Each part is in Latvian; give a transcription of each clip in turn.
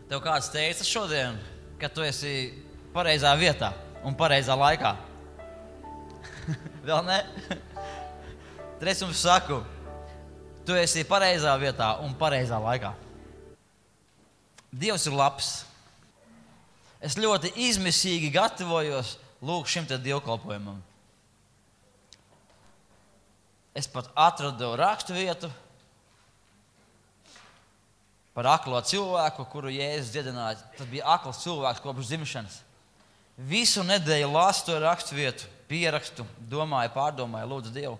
Tev kāds teica šodien, ka tu esi pareizā vietā un pareizā laikā? Vēl ne? Tad es jums saku, tu esi pareizā vietā un pareizā laikā. Dievs ir labs. Es ļoti izmisīgi gatavojos lūk šim te dievkalpojumam. Es pat atradu rakstu vietu par aklo cilvēku, kuru Jēzus dziedināja. Tas bija akls cilvēks kopš dzimšanas. Visu nedēļu lasu to rakstu vietu, pierakstu, domāju, pārdomāju, lūdzu Dievu.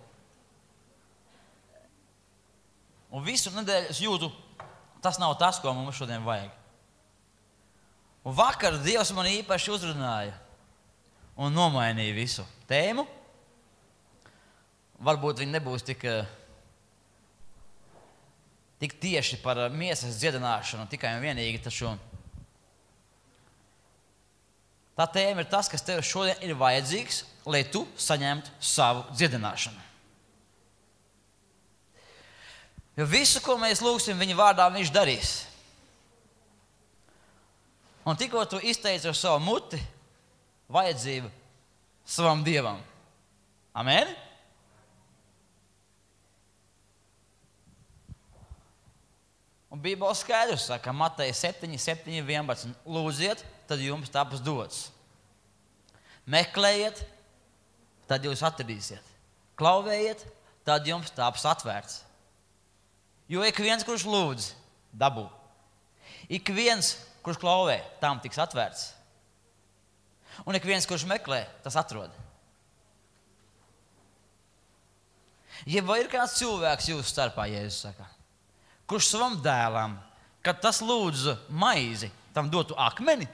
Un visu nedēļu es jūtu, tas nav tas, ko mums šodien vajag. Un vakar Dievs man īpaši uzrunāja un nomainīja visu tēmu. Varbūt viņi nebūs tik tieši par miesas dziedināšanu, tikai un vienīgi, taču tā tēma ir tas, kas tev šodien ir vajadzīgs, lai tu saņemtu savu dziedināšanu. Jo visu, ko mēs lūgsim viņa vārdā, viņš darīs. Un tikko tu izteici ar savu muti vajadzību savam Dievam. Amen? Un Bībele skaidrs saka, Mateja 7:11. Lūdziet, tad jums taps dots. Meklējiet, tad jūs atradīsiet. Klauvējiet, tad jums taps atvērts. Jo ik viens, kurš lūdz, dabū. Ik viens, kurš klauvē, tam tiks atvērts. Un ik viens, kurš meklē, tas atrod. Ja vai ir kāds cilvēks jūsu starpā, Jēzus saka, kurš savam dēlam, kad tas lūdzu maizi, tam dotu akmeni?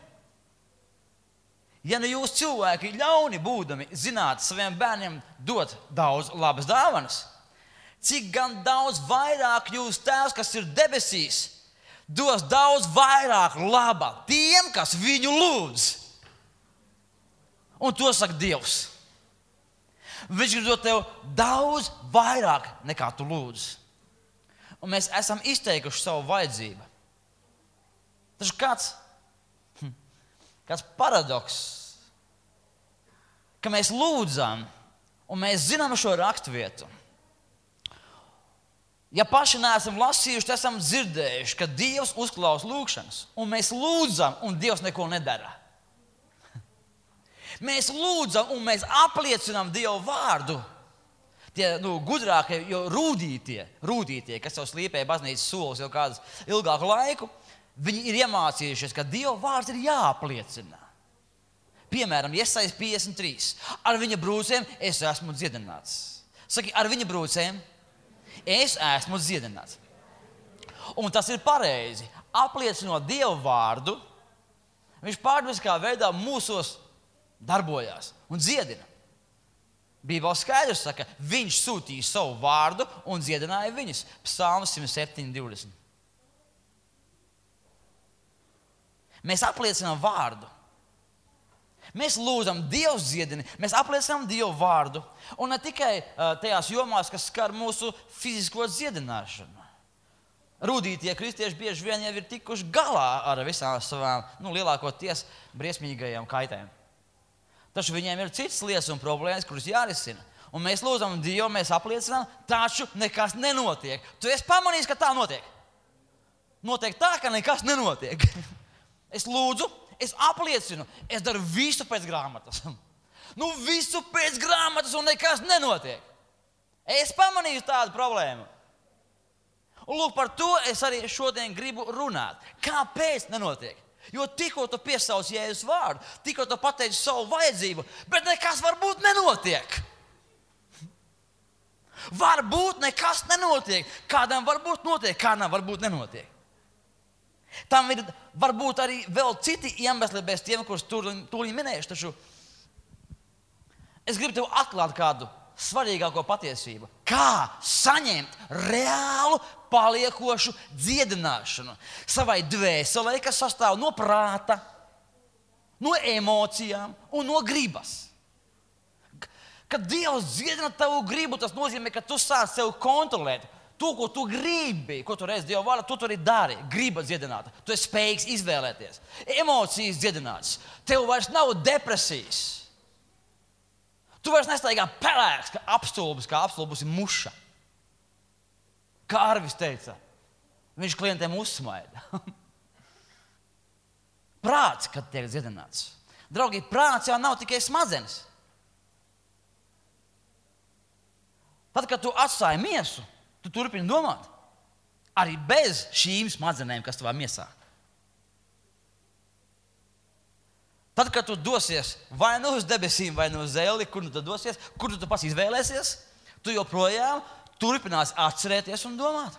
Ja nu jūs cilvēki ļauni būdami zināt saviem bērniem dot daudz labas dāvanas, cik gan daudz vairāk jūs tēvs, kas ir debesīs, dos daudz vairāk laba tiem, kas viņu lūdz. Un to saka Dievs. Viņš grib dot tev daudz vairāk nekā tu lūdz. Un mēs esam izteikuši savu vajadzību. Taču kāds paradoks, ka mēs lūdzam un mēs zinām šo raksturvietu. Ja paši neesam lasījuši, tad esam dzirdējuši, ka Dievs uzklausa lūgšanas. Un mēs lūdzam, un Dievs neko nedara. Mēs lūdzam, un mēs apliecinām Dievu vārdu. Tie gudrākie, jo rūdītie, kas jau slīpēja baznīcas solis jau kādu ilgāku laiku, viņi ir iemācījušies, ka Dieva vārds ir jāapliecina. Piemēram, Jesajas 53. Ar viņa brūcēm es esmu dziedināts. Saki, ar viņa brūcēm es esmu dziedināts. Un tas ir pareizi. Apliecinot Dieva vārdu, viņš pārdabiskā veidā mūsos darbojās un dziedina. Bībele skaidrs saka, viņš sūtīja savu vārdu un dziedināja viņus. Psalms 107:20. Mēs apliecinām vārdu. Mēs lūdzam, Dievs dziedina, mēs apliecinām Dievu vārdu. Un ne tikai tajās jomās, kas skar mūsu fizisko dziedināšanu. Rūdītie kristieši bieži vien jau ir tikuši galā ar visām savām, lielākoties briesmīgajām kaitēm. Taču viņiem ir citas lietas un problēmas, kuras jārisina. Un mēs lūdzam Dievu, mēs apliecinām, taču nekas nenotiek. Tu esi pamanījis, ka tā notiek? Notiek tā, ka nekas nenotiek. Es lūdzu, es apliecinu, es daru visu pēc grāmatas. Visu pēc grāmatas un nekas nenotiek. Es pamanīju tādu problēmu. Un lūk, par to es arī šodien gribu runāt. Kāpēc nenotiek? Jo tikko tu piesauc Jēzus vārdu, tikko tu pateici savu vajadzību, bet nekas varbūt nenotiek. Varbūt nekas nenotiek. Kādam varbūt notiek, kādam varbūt nenotiek. Tam ir varbūt arī vēl citi iemesli bez tiem, kurus tūlīt minēšu, taču es gribu tev atklāt kādu svarīgāko patiesību. Kā saņemt reālu, paliekošu dziedināšanu savai dvēselē, kas sastāv no prāta, no emocijām un no gribas. Kad Dievs dziedina tavu gribu, tas nozīmē, ka tu sāc sev kontrolēt. To, ko tu gribi, ko tu redzi Dieva vārdā, tu arī dari. Griba dziedināta. Tu esi spējīgs izvēlēties. Emocijas dziedinātas. Tev vairs nav depresijas. Tu vairs nestaigā pelēks, kā apstulbusi muša. Kā Arvis teica, viņš klientiem uzsmaida. Prāts, kad tiek dziedināts. Draugi, prāts jau nav tikai smadzenes. Tad, kad tu atstāji miesu, tu turpini domāt. Arī bez šīm smadzenēm, kas tavā miesā. Tad, kad tu dosies vai nu uz debesīm, vai nu uz zeli, kur tu dosies, kur tu pats izvēlēsies, tu joprojām turpinās atcerēties un domāt.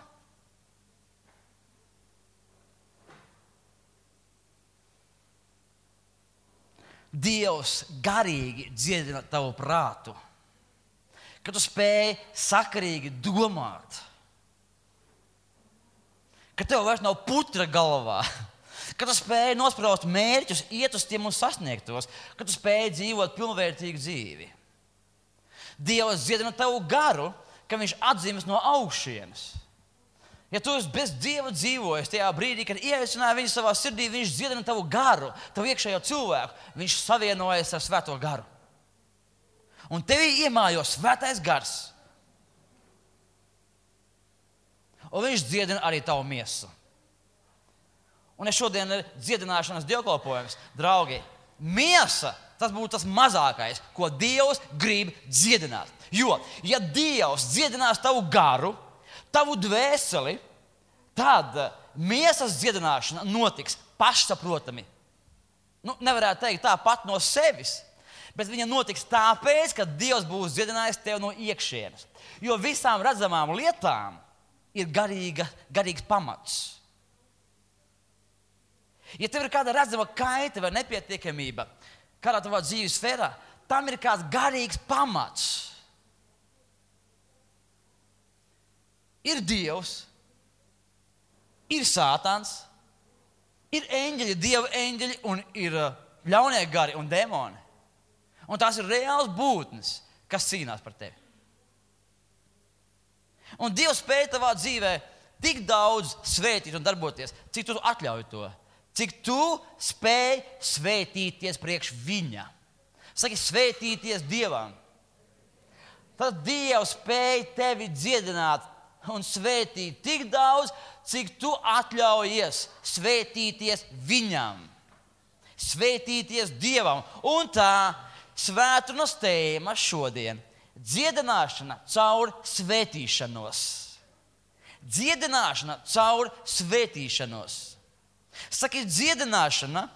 Dievs garīgi dziedina tavu prātu, kad tu spēj sakarīgi domāt, ka tev vairs nav putra galvā, ka tu spēj nospraust mērķus, iet uz tiem un sasniegt tos, ka tu spēj dzīvot pilnvērtīgu dzīvi. Dievs dziedina tavu garu, ka viņš atzīmes no augšienes. Ja tu esi bez Dieva dzīvojis tajā brīdī, kad ieaicināji viņu savā sirdī, viņš dziedina tavu garu, tavu iekšējo cilvēku, viņš savienojas ar svēto garu. Un tevī iemājo svētais gars. Un viņš dziedina arī tavu miesu. Un es šodien ir dziedināšanas dievkalpojums. Draugi, miesa, tas būtu tas mazākais, ko Dievs grib dziedināt. Jo, ja Dievs dziedinās tavu garu, tavu dvēseli, tad miesas dziedināšana notiks pašsaprotami. Nevarētu teikt tāpat no sevis, bet viņa notiks tāpēc, ka Dievs būs dziedinājis tevi no iekšienes. Jo visām redzamām lietām ir garīgs pamats. Ja tev ir kāda redzama kaita vai nepietiekamība kādā tavā dzīves sfērā, tam ir kāds garīgs pamats. Ir Dievs, ir Sātans, ir eņģeļi, Dieva eņģeļi un ir ļaunie gari un demoni. Un tās ir reāls būtnes, kas cīnās par tevi. Un Dievs spēj tavā dzīvē tik daudz svētīt un darboties, cik tu atļauj to. Cik tu spēj svētīties priekš viņa. Saki, svētīties Dievam. Tad Dievs spēj tevi dziedināt un svētīt tik daudz, cik tu atļaujies svētīties viņam. Svētīties Dievam. Un tā svētdienas tēma šodien - dziedināšana caur svētīšanos. Dziedināšana caur svētīšanos. Saki, dziedināšana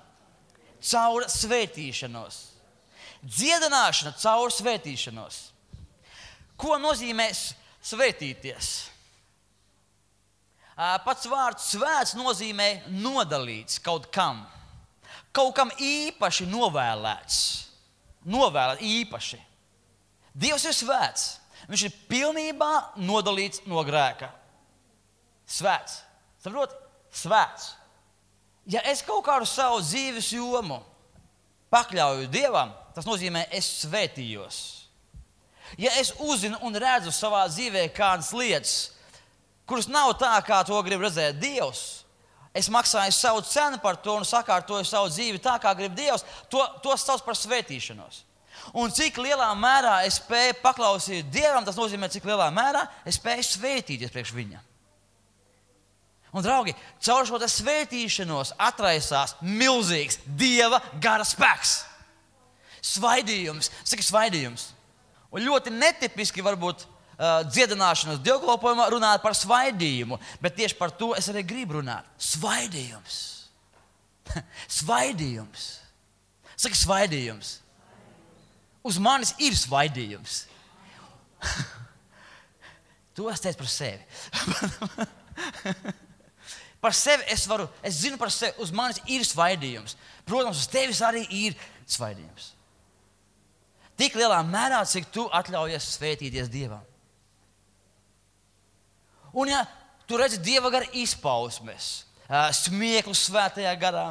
caur svētīšanos. Dziedināšana caur svētīšanos. Ko nozīmē svētīties? Pats vārds svēts nozīmē nodalīts kaut kam. Kaut kam īpaši novēlēts. Novēlēt īpaši. Dievs ir svēts. Viņš ir pilnībā nodalīts no grēka. Svēts. Saproti? Svēts. Ja es kaut kādu savu dzīves jomu pakļauju Dievam, tas nozīmē, es svētījos. Ja es uzzinu un redzu savā dzīvē kādas lietas, kuras nav tā, kā to grib redzēt Dievs, es maksāju savu cenu par to un sakārtoju savu dzīvi tā, kā grib Dievs, to sauc par svētīšanos. Un cik lielā mērā es spēju paklausīt Dievam, tas nozīmē, cik lielā mērā es spēju svētīties priekš viņa. Un, draugi, caur šo svētīšanos atraisās milzīgs Dieva gara spēks. Svaidījums. Saki, svaidījums. Un ļoti netipiski varbūt dziedināšanas dievkalpojumā runāt par svaidījumu, bet tieši par to es arī gribu runāt. Svaidījums. Svaidījums. Saki, svaidījums. Uz manis ir svaidījums. To es teicu par sevi. Par sevi es zinu par sevi, uz manis ir svaidījums. Protams, uz tevis arī ir svaidījums. Tik lielā mērā, cik tu atļaujies svētīties Dievam. Un ja tu redzi Dieva gara izpausmes, smieklu svētajā garā,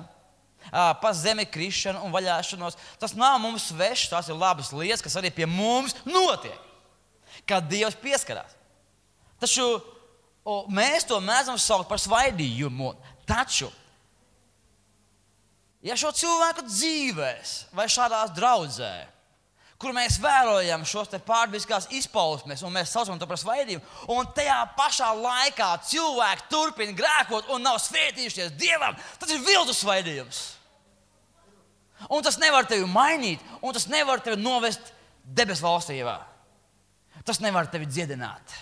pa zemi krišanu un vaļāšanos, tas nav mums svešs, tās ir labas lietas, kas arī pie mums notiek, kad Dievs pieskarās. Taču Un mēs to mēdzam saukt par svaidījumu. Taču, ja šo cilvēku dzīvēs vai šādās draudzē, kur mēs vērojam šos te pārdabiskās izpausmes, un mēs saucam to par svaidījumu, un tajā pašā laikā cilvēki turpina grēkot un nav svētījušies Dievam, tas ir viltus svaidījums. Un tas nevar tevi mainīt, un tas nevar tevi novest debesu valstībā. Tas nevar tevi dziedināt.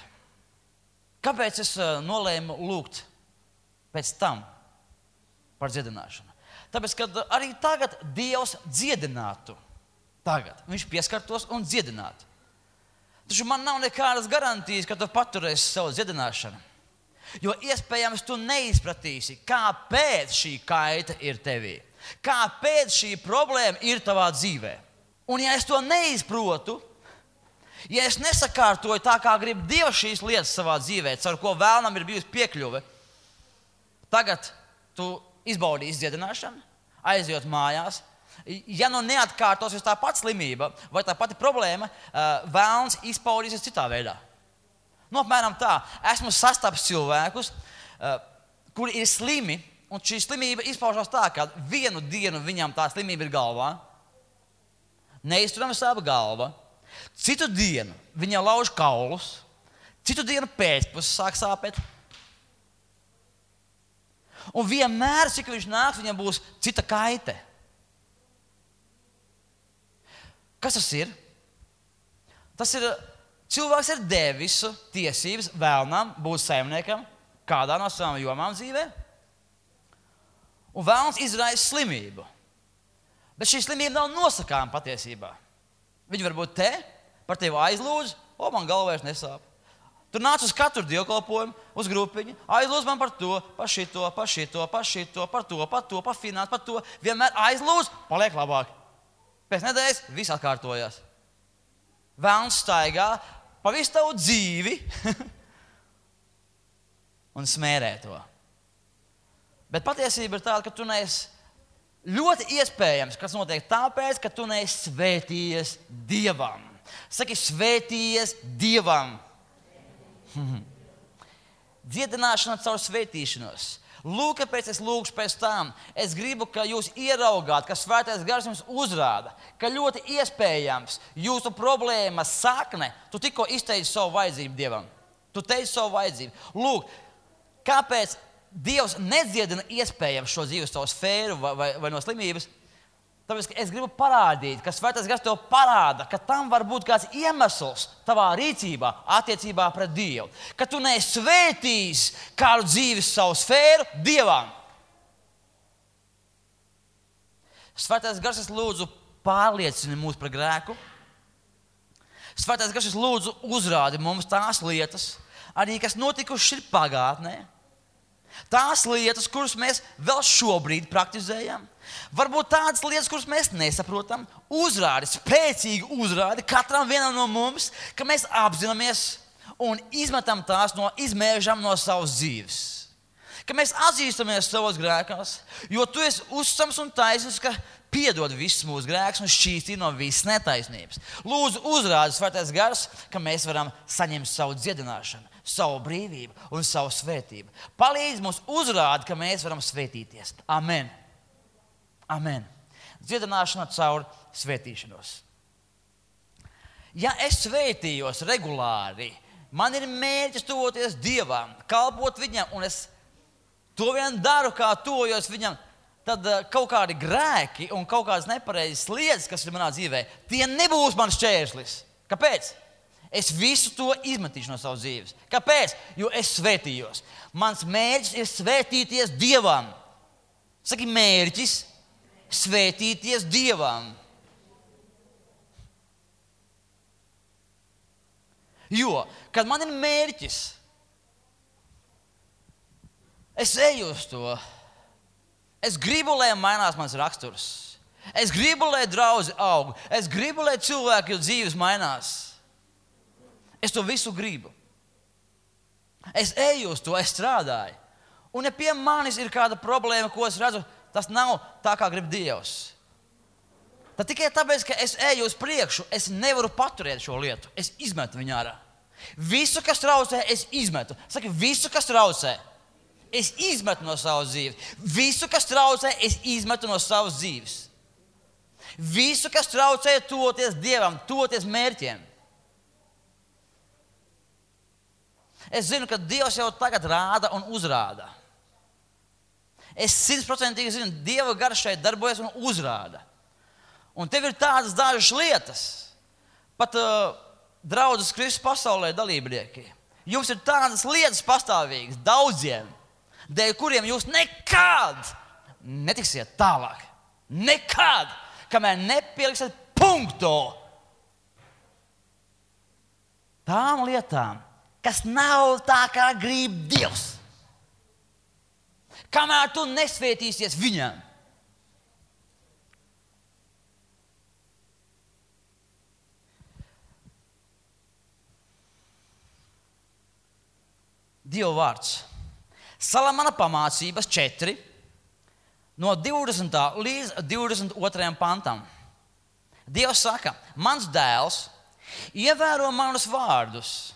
Kāpēc es nolēmu lūgt pēc tam par dziedināšanu? Tāpēc, ka arī tagad Dievs dziedinātu. Tagad viņš pieskartos un dziedinātu. Taču man nav nekādas garantijas, ka tu paturēsi savu dziedināšanu. Jo iespējams tu neizpratīsi, kāpēc šī kaita ir tevī. Kāpēc šī problēma ir tavā dzīvē. Un ja es to neizprotu, ja es nesakārtoju tā, kā grib Dievs šīs lietas savā dzīvē, caur ko vēlnam ir bijusi piekļuve, tagad tu izbaudīsi dziedināšanu, aizjot mājās. Ja nu neatkārtosies tā pati slimība vai tā pati problēma, vēlns izpaudīsies citā veidā. Nu, apmēram tā. Esmu sastapis cilvēkus, kuri ir slimi, un šī slimība izpaužās tā, ka vienu dienu viņam tā slimība ir galvā, neizturama sāp galva, citu dienu viņa lauž kaulus, citu dienu pēcpus sāk sāpēt. Un vienmēr, cik viņš nāks, viņam būs cita kaite. Kas tas ir? Tas ir, cilvēks ir devis tiesības vēlnam būt saimniekam kādā no savām jomām dzīvē. Un vēlns izraisa slimību. Bet šī slimība nav nosakāma patiesībā. Viņi var būt te, par tevi aizlūdz, man galva vairs nesāp. Tur nāc uz katru dievkalpojumu, uz grupiņu, aizlūdz man par to, par šito, par šito, par šito, par to, par finansu, par to. Vienmēr aizlūdz, paliek labāk. Pēc nedēļas viss atkārtojās. Vēlns staigā pa visu tavu dzīvi un smērē to. Bet patiesība ir tāda, ka tu neesi ļoti iespējams, kas notiek tāpēc, ka tu neesi svētījies Dievam. Saki, svētījies Dievam. Dziedināšana caur svētīšanos. Lūk, kāpēc es lūgšu pēc tam. Es gribu, ka jūs ieraugāt, ka Svētais Gars jums uzrāda, ka ļoti iespējams jūsu problēmas sakne, tu tikko izteici savu vajadzību Dievam. Tu teici savu vajadzību. Lūk, kāpēc Dievs nedziedina iespējams šo dzīves savu sfēru vai no slimības? Tāpēc, ka es gribu parādīt, ka Svētais Gars tev parāda, ka tam var būt kāds iemesls tavā rīcībā, attiecībā pret Dievu. Ka tu neesi svētījis kādu dzīves savu sfēru Dievam. Svētais Gars, es lūdzu, pārliecini mūs par grēku. Svētais Gars, es lūdzu, uzrādi mums tās lietas, arī kas notikušas ir pagātnē. Tās lietas, kuras mēs vēl šobrīd praktizējam, varbūt tādas lietas, kuras mēs nesaprotam, uzrādi, spēcīgi uzrādi katram vienam no mums, ka mēs apzināmies un izmetam tās izmēžam no savas dzīves. Ka mēs atzīstamies savos grēkos, jo tu esi uzticams un taisnīgs, ka piedod visus mūsu grēkus un šķīstī no visas netaisnības. Lūdzu, uzrādi, Svētais Gars, ka mēs varam saņemt savu dziedināšanu, savu brīvību un savu svētību. Palīdz mums uzrādi, ka mēs varam svētīties. Amen. Amen. Dziedināšana caur svētīšanos. Ja es svētījos regulāri, man ir mērķis tuvoties Dievam, kalpot Viņam, un es to vien daru, kā tuvojos Viņam, tad kaut kādi grēki un kaut kādas nepareizas lietas, kas ir manā dzīvē, tie nebūs mans šķērslis. Kāpēc? Es visu to izmetīšu no savas dzīves. Kāpēc? Jo es svētījos. Mans mērķis ir svētīties Dievam. Saki, mērķis svētīties Dievam. Jo, kad man ir mērķis, es eju uz to. Es gribu, lai mainās mans raksturs. Es gribu, lai draugi aug. Es gribu, lai cilvēku dzīves mainās. Es to visu gribu. Es eju uz to, es strādāju. Un ja pie manis ir kāda problēma, ko es redzu, tas nav tā, kā grib Dievs. Tad tikai tāpēc, ka es eju uz priekšu, es nevaru paturēt šo lietu. Es izmetu viņu ārā. Visu, kas traucē, es izmetu. Saki, visu, kas traucē, es izmetu no savas dzīves. Visu, kas traucē, es izmetu no savas dzīves. Visu, kas traucē, tuvoties Dievam, tuvoties mērķiem. Es zinu, ka Dievs jau tagad rāda un uzrāda. Es 100% zinu, Dieva gars šeit darbojas un uzrāda. Un tev ir tādas dažas lietas, pat draudzes Kristus pasaulē dalībnieki. Jums ir tādas lietas pastāvīgas, daudziem, dēļ kuriem jūs nekad netiksiet tālāk. Nekad, kamēr nepieliksiet punktu tām lietām, kas nav tā, kā grib Dievs. Kamēr tu nesvētīsies viņam. Dieva vārds. Salamana pamācības 4, no 20. līdz 22. pantam. Dievs saka, mans dēls ievēro manus vārdus,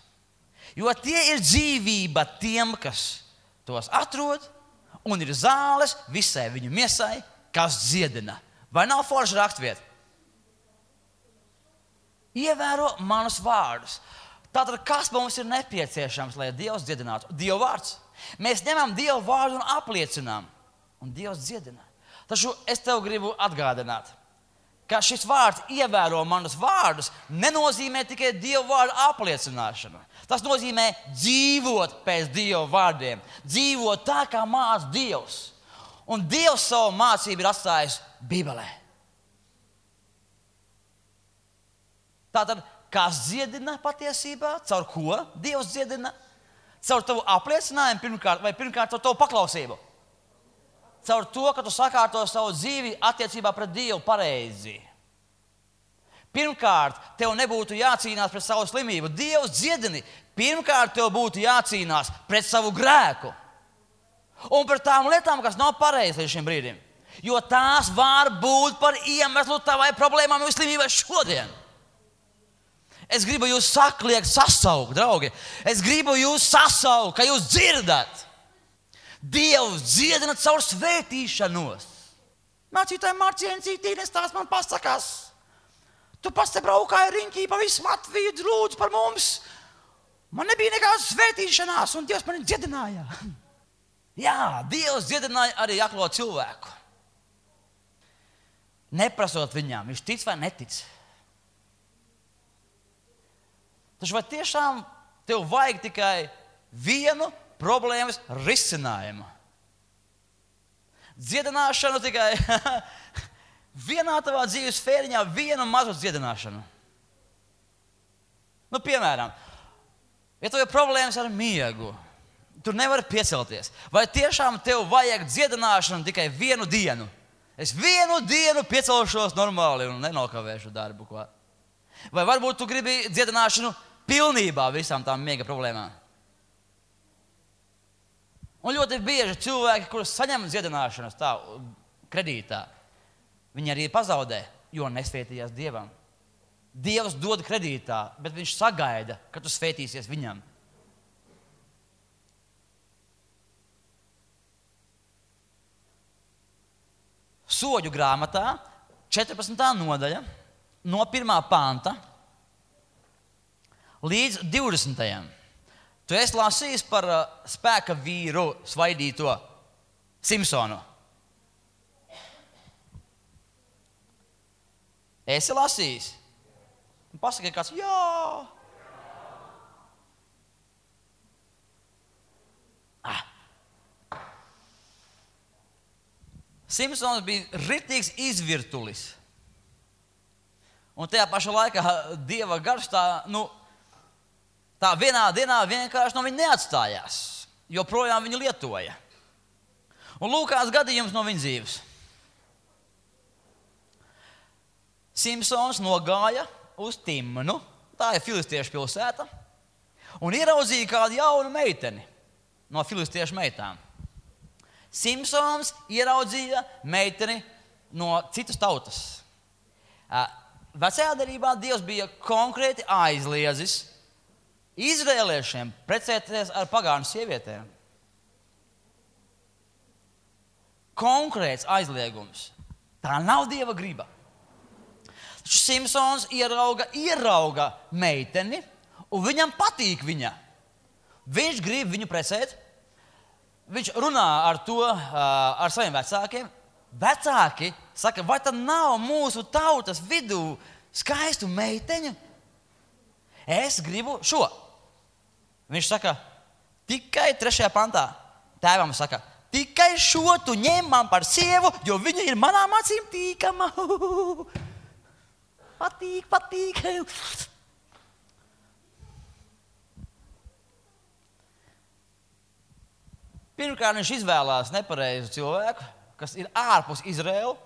jo tie ir dzīvība tiem, kas tos atrod, un ir zāles visai viņu miesai, kas dziedina. Vai nav forša rakstvieta? Ievēro manus vārdus. Tātad, kas mums ir nepieciešams, lai Dievs dziedinātu? Dieva vārds. Mēs ņemam Dieva vārdu un apliecinām, un Dievs dziedina. Taču es tev gribu atgādināt, ka šis vārds ievēro manus vārdus nenozīmē tikai Dieva vārdu apliecināšanu. Tas nozīmē dzīvot pēc Dieva vārdiem, dzīvot tā, kā māca Dievs. Un Dievs savu mācību ir atstājis Bībelē. Tātad, kas dziedina patiesībā? Caur ko Dievs dziedina? Caur tavu apliecinājumu pirmkārt, vai pirmkārt caur tavu paklausību? Caur to, ka tu sakārto savu dzīvi attiecībā pret Dievu pareizi. Pirmkārt, tev nebūtu jācīnās pret savu slimību. Dievs dziedini. Pirmkārt, tev būtu jācīnās pret savu grēku. Un pret tām lietām, kas nav pareizas līdz šim brīdim. Jo tās var būt par iemeslu tavai problēmām vai slimībai šodien. Es gribu jūs sasaukt, draugi. Es gribu jūs sasaukt, ka jūs dzirdat. Dievs dziedina caur svētīšanos. Mācītāji Marciencītīnes tās man pasakās. Tu pats te braukāji riņķī pa visu Latviju, lūdzu par mums. Man nebija nekādas svētīšanās, un Dievs mani dziedināja. Jā, Dievs dziedināja arī aklo cilvēku. Neprasot viņām, viņš tic vai netic. Taču vai tiešām tev vajag tikai vienu problēmas risinājumu? Dziedināšanu tikai vienā tavā dzīves sfēriņā, vienu mazu dziedināšanu. Nu, piemēram, ja tev ir problēmas ar miegu, tu nevari piecelties. Vai tiešām tev vajag dziedināšanu tikai vienu dienu? Es vienu dienu piecelšos normāli un nenokavēšu darbu. Ko? Vai varbūt tu gribi dziedināšanu pilnībā visām tām miega problēmām? Un ļoti bieži cilvēki, kurus saņem dziedināšanas tā kredītā, viņi arī pazaudē, jo nesvētījās Dievam. Dievs dod kredītā, bet viņš sagaida, ka tu svētīsies viņam. Soļu grāmatā, 14. nodaļa, no 1. panta līdz 20. Tu esi lasījis par spēka vīru svaidīto Simpsonu. Esi lasījis? Pasaki kāds, jā. Simpsons bija ritīgs izvirtulis. Un tajā pašā laikā Dieva gars tā vienā dienā vienkārši no viņa neatstājās. Joprojām viņu lietoja. Un lūk, kāds gadījums no viņa dzīves. Simpsons nogāja uz Timnu, tā ir filistiešu pilsēta, un ieraudzīja kādu jaunu meiteni no filistiešu meitām. Simpsons ieraudzīja meiteni no citas tautas. Vecajā derībā Dievs bija konkrēti aizliedzis izrēliešiem precēties ar pagānu sievietēm. Konkrēts aizliegums. Tā nav Dieva griba. Taču Simpsons ierauga meiteni, un viņam patīk viņa. Viņš grib viņu precēt. Viņš runā ar to ar saviem vecākiem. Vecāki saka, vai tad nav mūsu tautas vidū skaistu meiteņu? Es gribu šo. Viņš saka, tikai 3. pantā. Tēvam saka, tikai šo tu ņem man par sievu, jo viņa ir manām acīm tīkama. Patīk. Pirmkārt, viņš izvēlās nepareizu cilvēku, kas ir ārpus Izraēlu.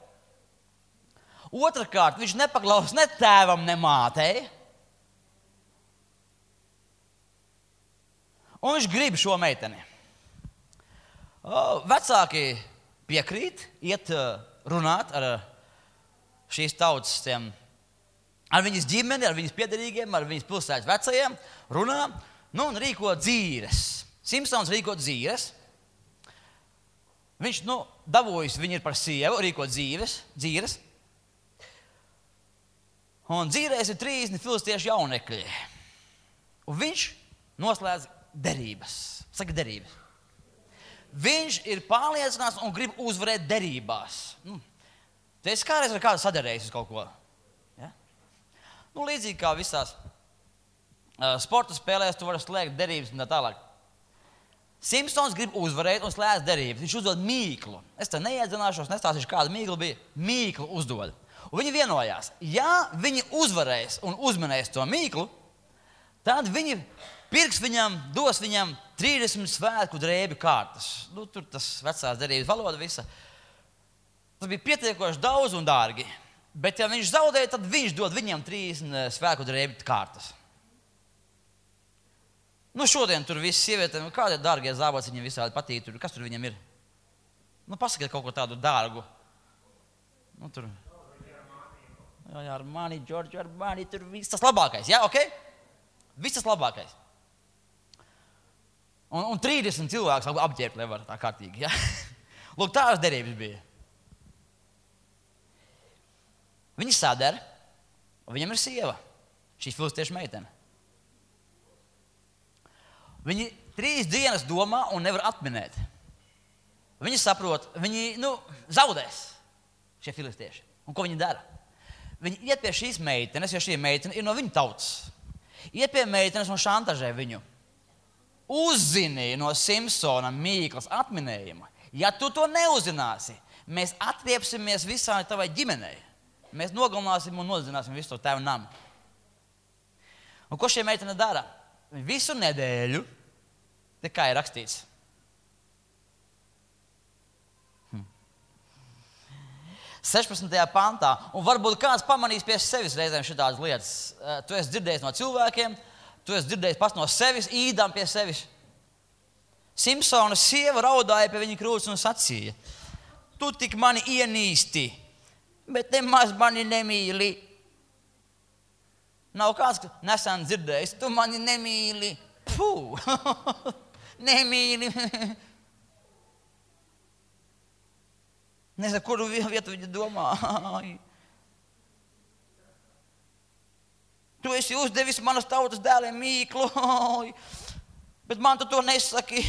Otrakārt, viņš nepaklaus ne tēvam, ne mātei. Un viņš grib šo meiteni. Vecāki piekrīt, iet runāt ar šīs tautas, ar viņas ģimeni, ar viņas piederīgiem, ar viņas pilsētas vecajiem, runā, un rīko dzīres. Simpsons rīko dzīres. Viņš, dabūjis viņu ir par sievu, rīko dzīres. Un dzīrēs ir 30 filistiešu jaunekļi. Un viņš noslēdz derības. Saka derības. Viņš ir pārliecināts un grib uzvarēt derībās. Tu esi kādreiz ar kādu sadarējis uz kaut ko? Ja? Līdzīgi kā visās sporta spēlēs, tu vari slēgt derības un tā tālāk. Simpsons grib uzvarēt un slēdz derības. Viņš uzdod mīklu. Es te neiedzināšos, nestāstīšu, kāda mīkla bija. Mīklu uzdod. Un viņi vienojās, ja viņi uzvarēs un uzmanēs to mīklu, tad viņi pirks viņam, dos viņam 30 svētku drēbju kārtas. Tur tas vecās derības valoda visa. Tas bija pietiekoši daudz un dārgi. Bet ja viņš zaudēja, tad viņš dod viņam 30 svētku drēbju kārtas. Šodien tur viss sievietēm, kādi ir dārgie zābaci, viņiem visādi patīk. Kas tur viņam ir? Pasakiet kaut ko tādu dārgu. Tur. Jā, Armani, Giorgio Armani, tur viss tas labākais. Jā, ok? Viss tas labākais. Un 30 cilvēks apģērbt, lai var tā kārtīgi. Ja? Lūk, tādas derības bija. Viņi sadara, un viņam ir sieva. Šī filistiešu meitene. Viņi 3 dienas domā un nevar atminēt. Viņi saprot, viņi zaudēs šie filistieši. Un ko viņi dara? Viņi iet pie šīs meitenes, jo šī meitene ir no viņu tautas. Iet pie meitenes un šantažē viņu. Uzzini no Simpsona mīklas atminējuma. Ja tu to neuzzināsi, mēs atriepsimies visai tavai ģimenei. Mēs nogalināsim un nodzināsim visu to tevu namu. Un ko šie meitene dara? Visu nedēļu, te kā ir rakstīts. 16. pantā, un varbūt kāds pamanīs pie sevis reizēm šitādas lietas. Tu esi dzirdējis no cilvēkiem, tu esi dzirdējis pats no sevis, īdām pie sevis. Simpsona sieva raudāja pie viņa krūts un sacīja, tu tik mani ienīsti, bet nemaz mani nemīli. Nav kāds nesen dzirdējis, tu mani nemīli. Puh, nemīli. Nezinu, kuru vietu viņa domā. Tu esi uzdevis manas tautas dēliem mīklu, bet man tu to nesaki.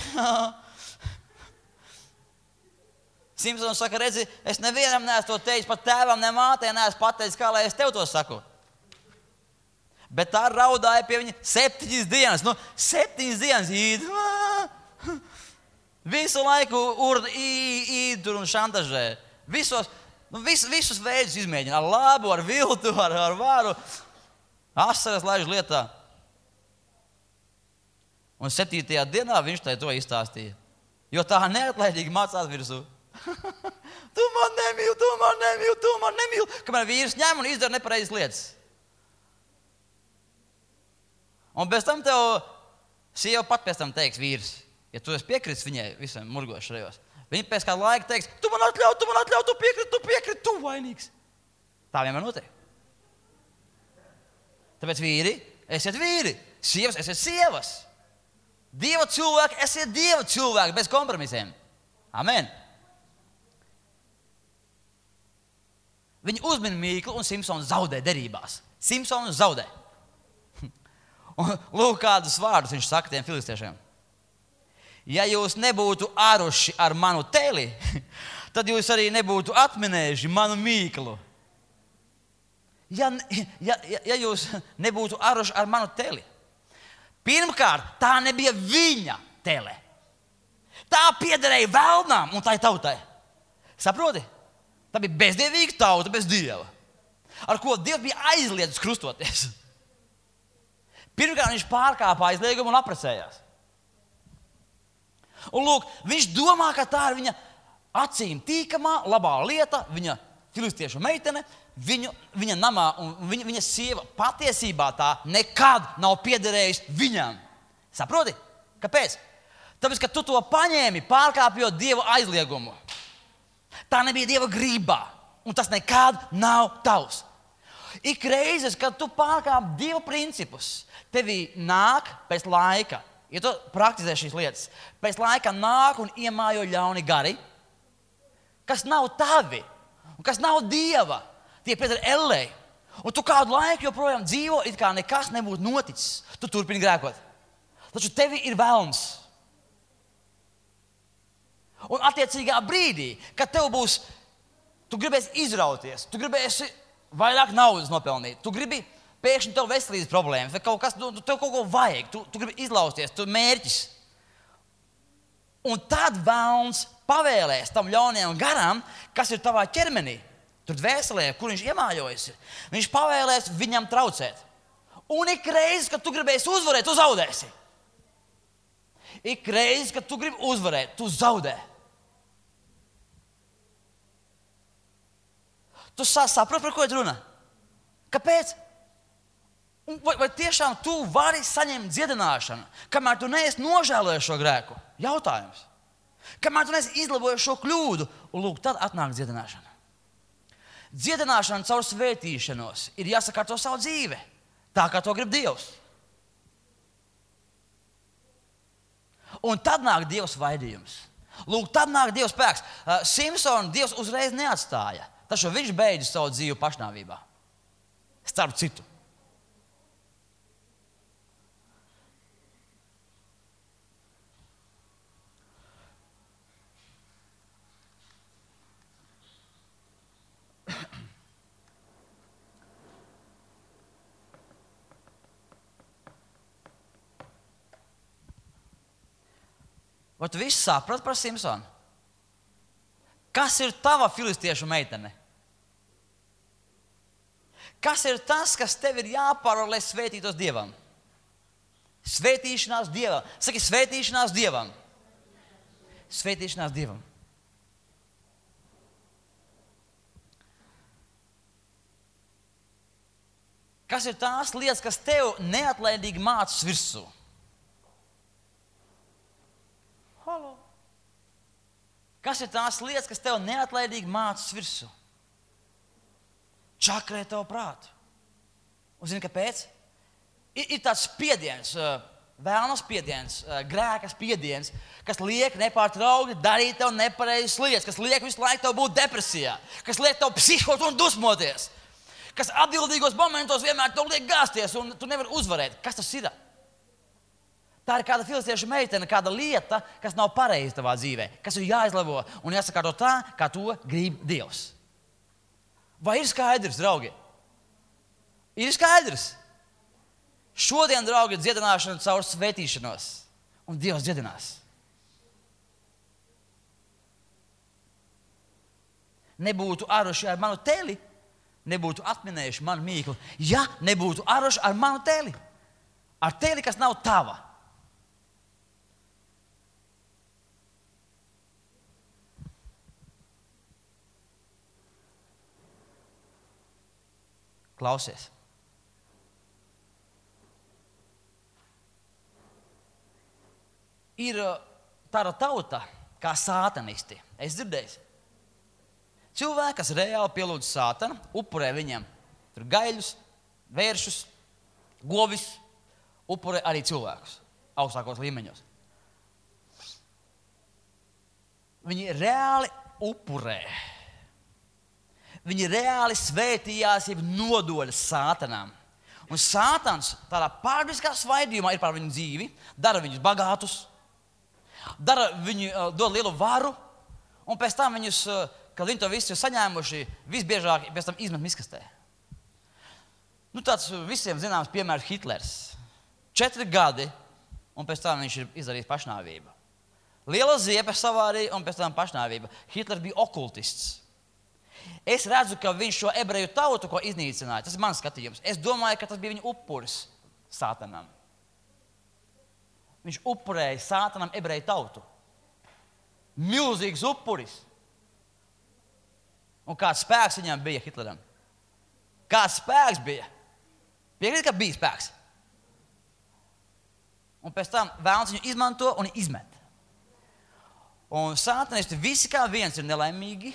Simpsons saka, redzi, es nevienam neesmu to teicis, pat tēvam, ne mātei neesmu pateicis, kā lai es tev to saku. Bet tā raudāja pie viņa 7 dienas. 7 dienas īd. Visu laiku īd tur un šantažē. Visus veidus izmēģina. Ar labu, ar viltu, ar varu. Asaras laiž lietā. Un 7. dienā viņš to izstāstīja. Jo tā neatlaidīgi mācās virsū. Tu man nemīli. Kamēr vīrs ņem un izdara nepareizas lietas. Un bez tam tev sieva pat pēc tam teiks vīrs, ja tu esi piekritis viņai visam murgošajos. Viņa pēc kāda laika teiks, tu man atļauj, tu piekriti, tu vainīgs. Tā vienmēr notiek. Tāpēc vīri, esiet vīri. sievas, esiet sievas. Dieva cilvēki, esiet Dieva cilvēki bez kompromisiem. Amen. Viņi uzmin Mīklu un Simpsonu zaudē derībās. Simpsonu zaudē. Un lūk, kādus vārdus viņš saka tiem filistiešiem. Ja jūs nebūtu aruši ar manu teli, tad jūs arī nebūtu atminējuši manu Mīklu. Ja jūs nebūtu aruši ar manu teli. Pirmkārt, tā nebija viņa tele. Tā piederēja velnām un tai tautai. Saproti? Tā bija bezdievīga tauta bez Dieva, ar ko Dievs bija aizliedzis krustoties. Pirmkārt, viņš pārkāpa aizliegumu un apprecējās. Un lūk, viņš domā, ka tā ir viņa acīm tīkamā, labā lieta, viņa filistiešu meitene, viņa namā un viņa sieva patiesībā tā nekad nav piederējusi viņam. Saproti? Kāpēc? Tāpēc, ka tu to paņēmi, pārkāpjot Dieva aizliegumu. Tā nebija Dieva grībā, un tas nekad nav tavs. Ik reizes, kad tu pārkāp Dieva principus, tevī nāk pēc laika, ja tu praktizē šīs lietas, pēc laika nāk un iemājo ļauni gari, kas nav tavi un kas nav Dieva. Tie pieder ellei. Un tu kādu laiku joprojām dzīvo, it kā nekas nebūtu noticis. Tu turpini grēkot. Taču tevi ir velns. Un attiecīgā brīdī, kad tev būs, tu gribēsi izrauties, tu gribēsi vairāk naudas nopelnīt, tu gribi pēkšņi tev veselības problēmas, vai kaut kas, tev kaut ko vajag, tu gribi izlausties, tu mērķis. Un tad velns pavēlēs tam ļaunajam garam, kas ir tavā ķermenī, tur dvēselē, kur viņš iemājojas. Viņš pavēlēs viņam traucēt. Un ik reizi, kad tu gribēsi uzvarēt, tu zaudēsi. Ik reizi, kad tu gribi uzvarēt, tu zaudē. Tu saproti, par ko ir runa? Kāpēc? Vai tiešām tu vari saņemt dziedināšanu, kamēr tu neesi nožēlojis šo grēku? Jautājums. Kamēr tu neesi izlabojis šo kļūdu, un lūk, tad atnāk dziedināšana. Dziedināšana caur svētīšanos ir jāsakārto savu dzīve, tā kā to grib Dievs. Un tad nāk Dieva svaidījums. Lūk, tad nāk Dieva spēks. Simpsonu Dievs uzreiz neatstāja, taču viņš beidza savu dzīvi pašnāvībā. Starp citu. Vai tu visu saprati par Simpsonu? Kas ir tava filistiešu meitene? Kas ir tas, kas tev ir jāparo, lai svētītos Dievam? Svētīšanās Dievam. Saki, svētīšanās Dievam. Svētīšanās Dievam. Kas ir tās lietas, kas tev neatlaidīgi mācas virsū? Halo. Kas ir tās lietas, kas tev neatlaidīgi mācas virsū? Čakrē tev prātu. Un zini, kāpēc? Ir tāds spiediens, vēlna spiediens, grēka spiediens, kas liek nepārtraukti darīt tev nepareizas lietas, kas liek visu laiku tev būt depresijā, kas liek tev psihot un dusmoties, kas atbildīgos momentos vienmēr tev liek gāzties un tu nevari uzvarēt. Kas tas ir? Tā ir kāda filistiešu meitene, kāda lieta, kas nav pareiza tavā dzīvē, kas ir jāizlabo un jāsakārto tā, kā to grib Dievs. Vai ir skaidrs, draugi? Ir skaidrs. Šodien, draugi, ir dziedināšana caur svētīšanos, un Dievs dziedinās. Nebūtu aruši ar manu teli, nebūtu atminējuši manu mīklu, ja nebūtu aruši ar manu teli. Ar teli, kas nav tava. Klausies. Ir tāda tauta kā sātanisti. Es dzirdēju. Cilvēki, kas reāli pielūdz sātanu, upurē viņam tur gaļus, vēršus, govis upurē arī cilvēkus augstākos līmeņos. Viņi reāli upurē. Viņi reāli svētījās, jeb nodoļas sātanām. Un sātans tādā pārdabiskā svaidījumā ir par viņu dzīvi, dara viņus bagātus, dod lielu varu, un pēc tam viņus, kad viņi to visu ir saņēmuši, visbiežāk pēc tam izmet miskastē. Tāds visiem zināms piemērs Hitlers. 4 gadi, un pēc tam viņš ir izdarījis pašnāvību. Liela ziepe savārīja, un pēc tam pašnāvība. Hitlers bija okultists. Es redzu, ka viņš šo ebreju tautu, ko iznīcināja, tas ir mans skatījums. Es domāju, ka tas bija viņa upuris sātanam. Viņš upurēja sātanam ebreju tautu. Milzīgs upuris. Un kāds spēks viņam bija Hitleram? Kāds spēks bija? Piekrīt, ka bija spēks. Un pēc tam vēlns viņu izmanto un izmet. Un sātanisti visi kā viens ir nelaimīgi,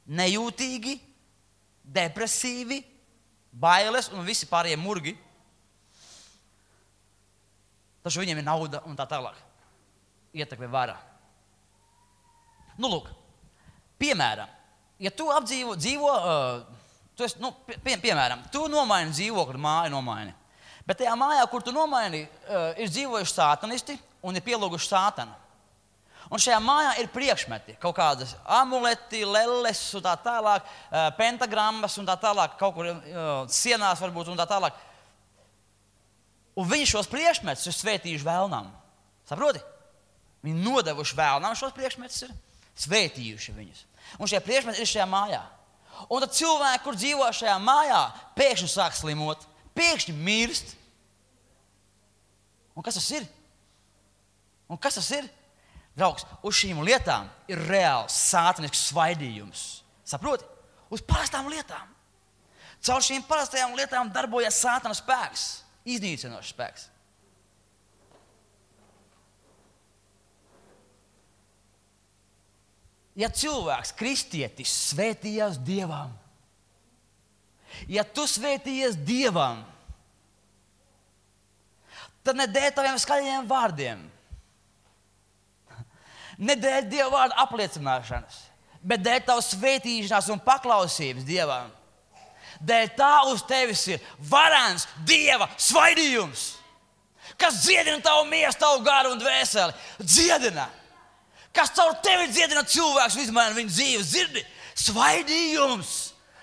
nejūtīgi, depresīvi, bailes un visi pārējie murgi. Taču viņiem ir nauda un tā tālāk. Ietekme vara. Lūk, piemēram, ja tu piemēram, tu nomaini dzīvokli, māju nomaini. Bet tajā mājā, kur tu nomaini, ir dzīvojuši sātanisti un ir pielūguši sātanu. Un šajā mājā ir priekšmeti, kaut kādas amuleti, lelles un tā tālāk, pentagrammas un tā tālāk, kaut kur sienās varbūt un tā tālāk. Un viņi šos priekšmetus ir svētījuši vēlnam. Saproti? Viņi nodevuši vēlnam šos priekšmetus, ir svētījuši viņus. Un šie priekšmeti ir šajā mājā. Un tad cilvēki, kur dzīvo šajā mājā, pēkšņi sāk slimot, pēkšņi mirst. Un kas tas ir? Draugs, uz šīm lietām ir reāls sātanisks svaidījums. Saproti? Uz parastām lietām. Caur šīm parastajām lietām darbojas sātana spēks, iznīcinošs spēks. Ja cilvēks, kristietis, svētījās Dievam, ja tu svētījies Dievam, tad ne dēļ taviem skaļajiem vārdiem, ne dēļ Dieva vārda apliecināšanas, bet dēļ tavas svētīšanās un paklausības Dievam. Dēļ tā uz tevis ir varens Dieva svaidījums, kas dziedina tavu miesu, tavu garu un dvēseli. Dziedina! Kas caur tevi dziedina cilvēks, izmaina viņa dzīves, dzirdi? Svaidījums!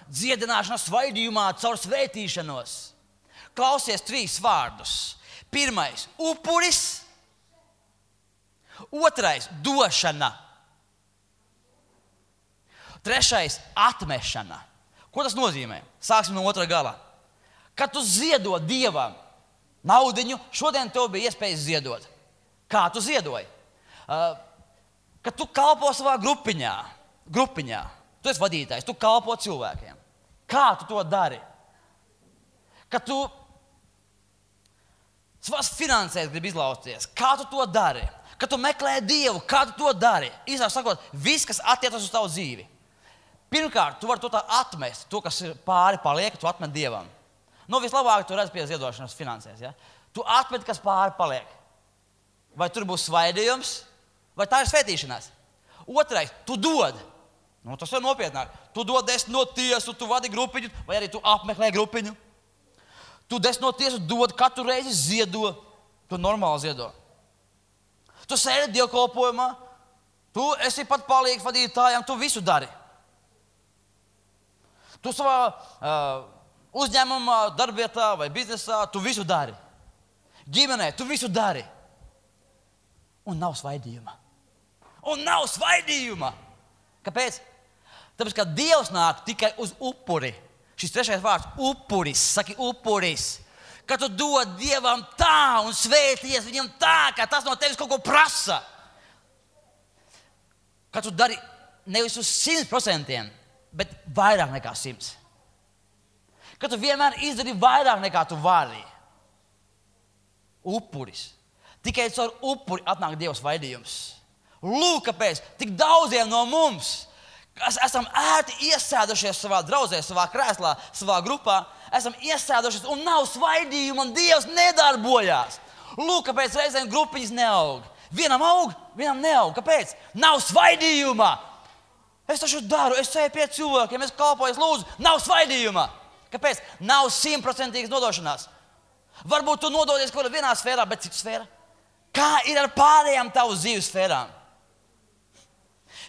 Dziedināšana svaidījumā caur svētīšanos. Klausies 3 vārdus. 1. upuris. 2. došana. 3. atmešana. Ko tas nozīmē? Sāksim no otrā gala. Kad tu ziedo Dievam naudiņu, šodien tev bija iespējas ziedot. Kā tu ziedoji? Kad tu kalpo savā grupiņā, tu esi vadītājs, tu kalpo cilvēkiem. Kā tu to dari? Kad tu savās finansēs gribi izlausties, kā tu to dari? Kad tu meklē Dievu, kā tu to dari? Īsāk sakot, viss, kas attiecas uz tavu dzīvi. Pirmkārt, tu vari to tā atmest, to, kas ir pāri paliek, tu atmet Dievam. Vislabāk tu redz pie ziedošanas finansēs. Ja? Tu atmet, kas pāri paliek. Vai tur būs svaidījums, vai tā ir svētīšanās. 2. tu dod. Tas ir nopietnāk. Tu dod 10 no tiesu, tu vadi grupiņu, vai arī tu apmeklē grupiņu. Tu 10 no tiesu dod, katru reizi ziedo. Tu normāli ziedo. Tu sēdi dievkalpojumā, tu esi pat palīgs vadītājiem, tu visu dari. Tu savā uzņēmumā, darbvietā vai biznesā, tu visu dari. Ģimenē, tu visu dari. Un nav svaidījuma. Kāpēc? Tāpēc, ka Dievs nāk tikai uz upuri. Šis 3. vārds – upuris. Saki upuris. Kad tu dod Dievam tā un svēties viņam tā, ka tas no tevis kaut ko prasa. Kad tu dari nevis uz 100%, bet vairāk nekā 100. Kad tu vienmēr izdari vairāk nekā tu vari. Upuris. Tikai caur upuri atnāk Dieva svaidījums. Lūk, kāpēc tik daudziem no mums, kas esam ērti iesēdušies savā draudzē, savā krēslā, savā grupā, esam iesēdušies un nav svaidījuma un Dievs nedarbojās. Lūk, kāpēc reizēm grupiņas neaug. Vienam aug, vienam neaug. Kāpēc? Nav svaidījuma. Es taču daru, es eju pie cilvēkiem, es kalpoju, es lūdzu. Nav svaidījuma. Kāpēc? Nav 100% nodošanās. Varbūt tu nododies kaut kādā vienā sfērā, bet cita sfēra. Kā ir ar pārējām tavu dzīves sfērām?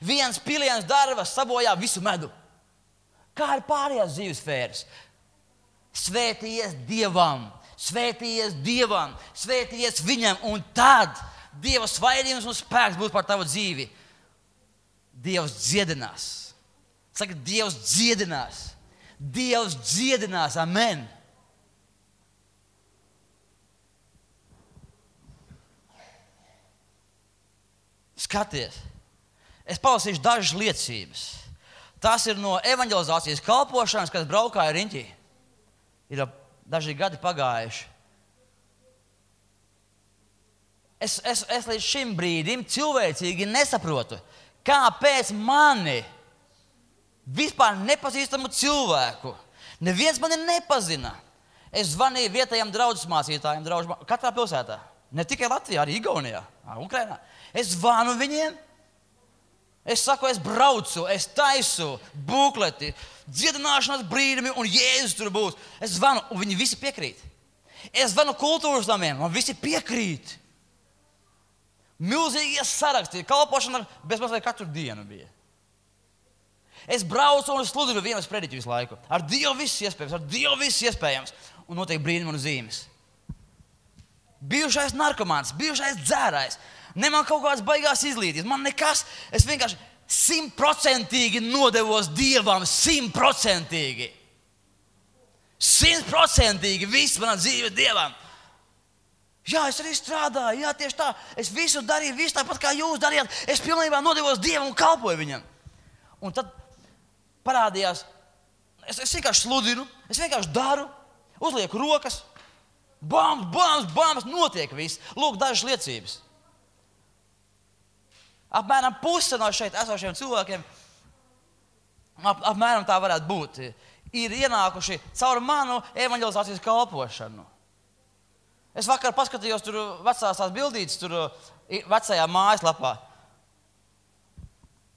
Viens piliens darbas sabojā visu medu. Kā ir pārējās dzīves sfēras? Svētījies Dievam, svētījies Dievam, svētījies Viņam, un tad Dieva svaidījums un spēks būs par tavu dzīvi. Dievs dziedinās. Saka, Dievs dziedinās. Dievs dziedinās. Amen. Skaties, es palasīšu dažas liecības. Tas ir no evanģelizācijas kalpošanas, kad braukāju riņķī. Ir daži gadi pagājuši. Es līdz šim brīdim cilvēcīgi nesaprotu, kāpēc mani vispār nepazīstamu cilvēku neviens mani nepazina. Es zvanīju vietējiem draudzes mācītājiem, katrā pilsētā. Ne tikai Latvijā, arī Igaunijā, Ukrainā. Es zvanu viņiem. Es saku, es braucu, es taisu bukleti, dziedināšanas brīdumi un Jēzus tur būs. Es zvanu, un viņi visi piekrīt. Es zvanu kultūras namiem, un visi piekrīt. Milzīgie saraksti, kalpošana bezmazliet katru dienu bija. Es braucu un sludinu vienas prediķu visu laiku. Ar Dievu viss iespējams, un notiek brīnumi un zīmes. Bijušais narkomāns, bijušais dzērājs. Ne man kaut kādas baigās izglītības, man nekas. Es vienkārši 100% nodevos Dievam, 100%. 100% viss manā dzīve Dievam. Jā, es arī strādāju, jā, tieši tā. Es visu darīju, visu tāpat kā jūs darījāt. Es pilnībā nodevos Dievam un kalpoju Viņam. Un tad parādījās, es vienkārši sludinu, es vienkārši daru, uzlieku rokas, bams, notiek viss. Lūk, dažas liecības. Apmēram puse no šeit esošiem cilvēkiem, apmēram tā varētu būt, ir ienākuši caur manu evanģelizācijas kalpošanu. Es vakar paskatījos tur vecās tās bildītes, tur vecajā mājaslapā.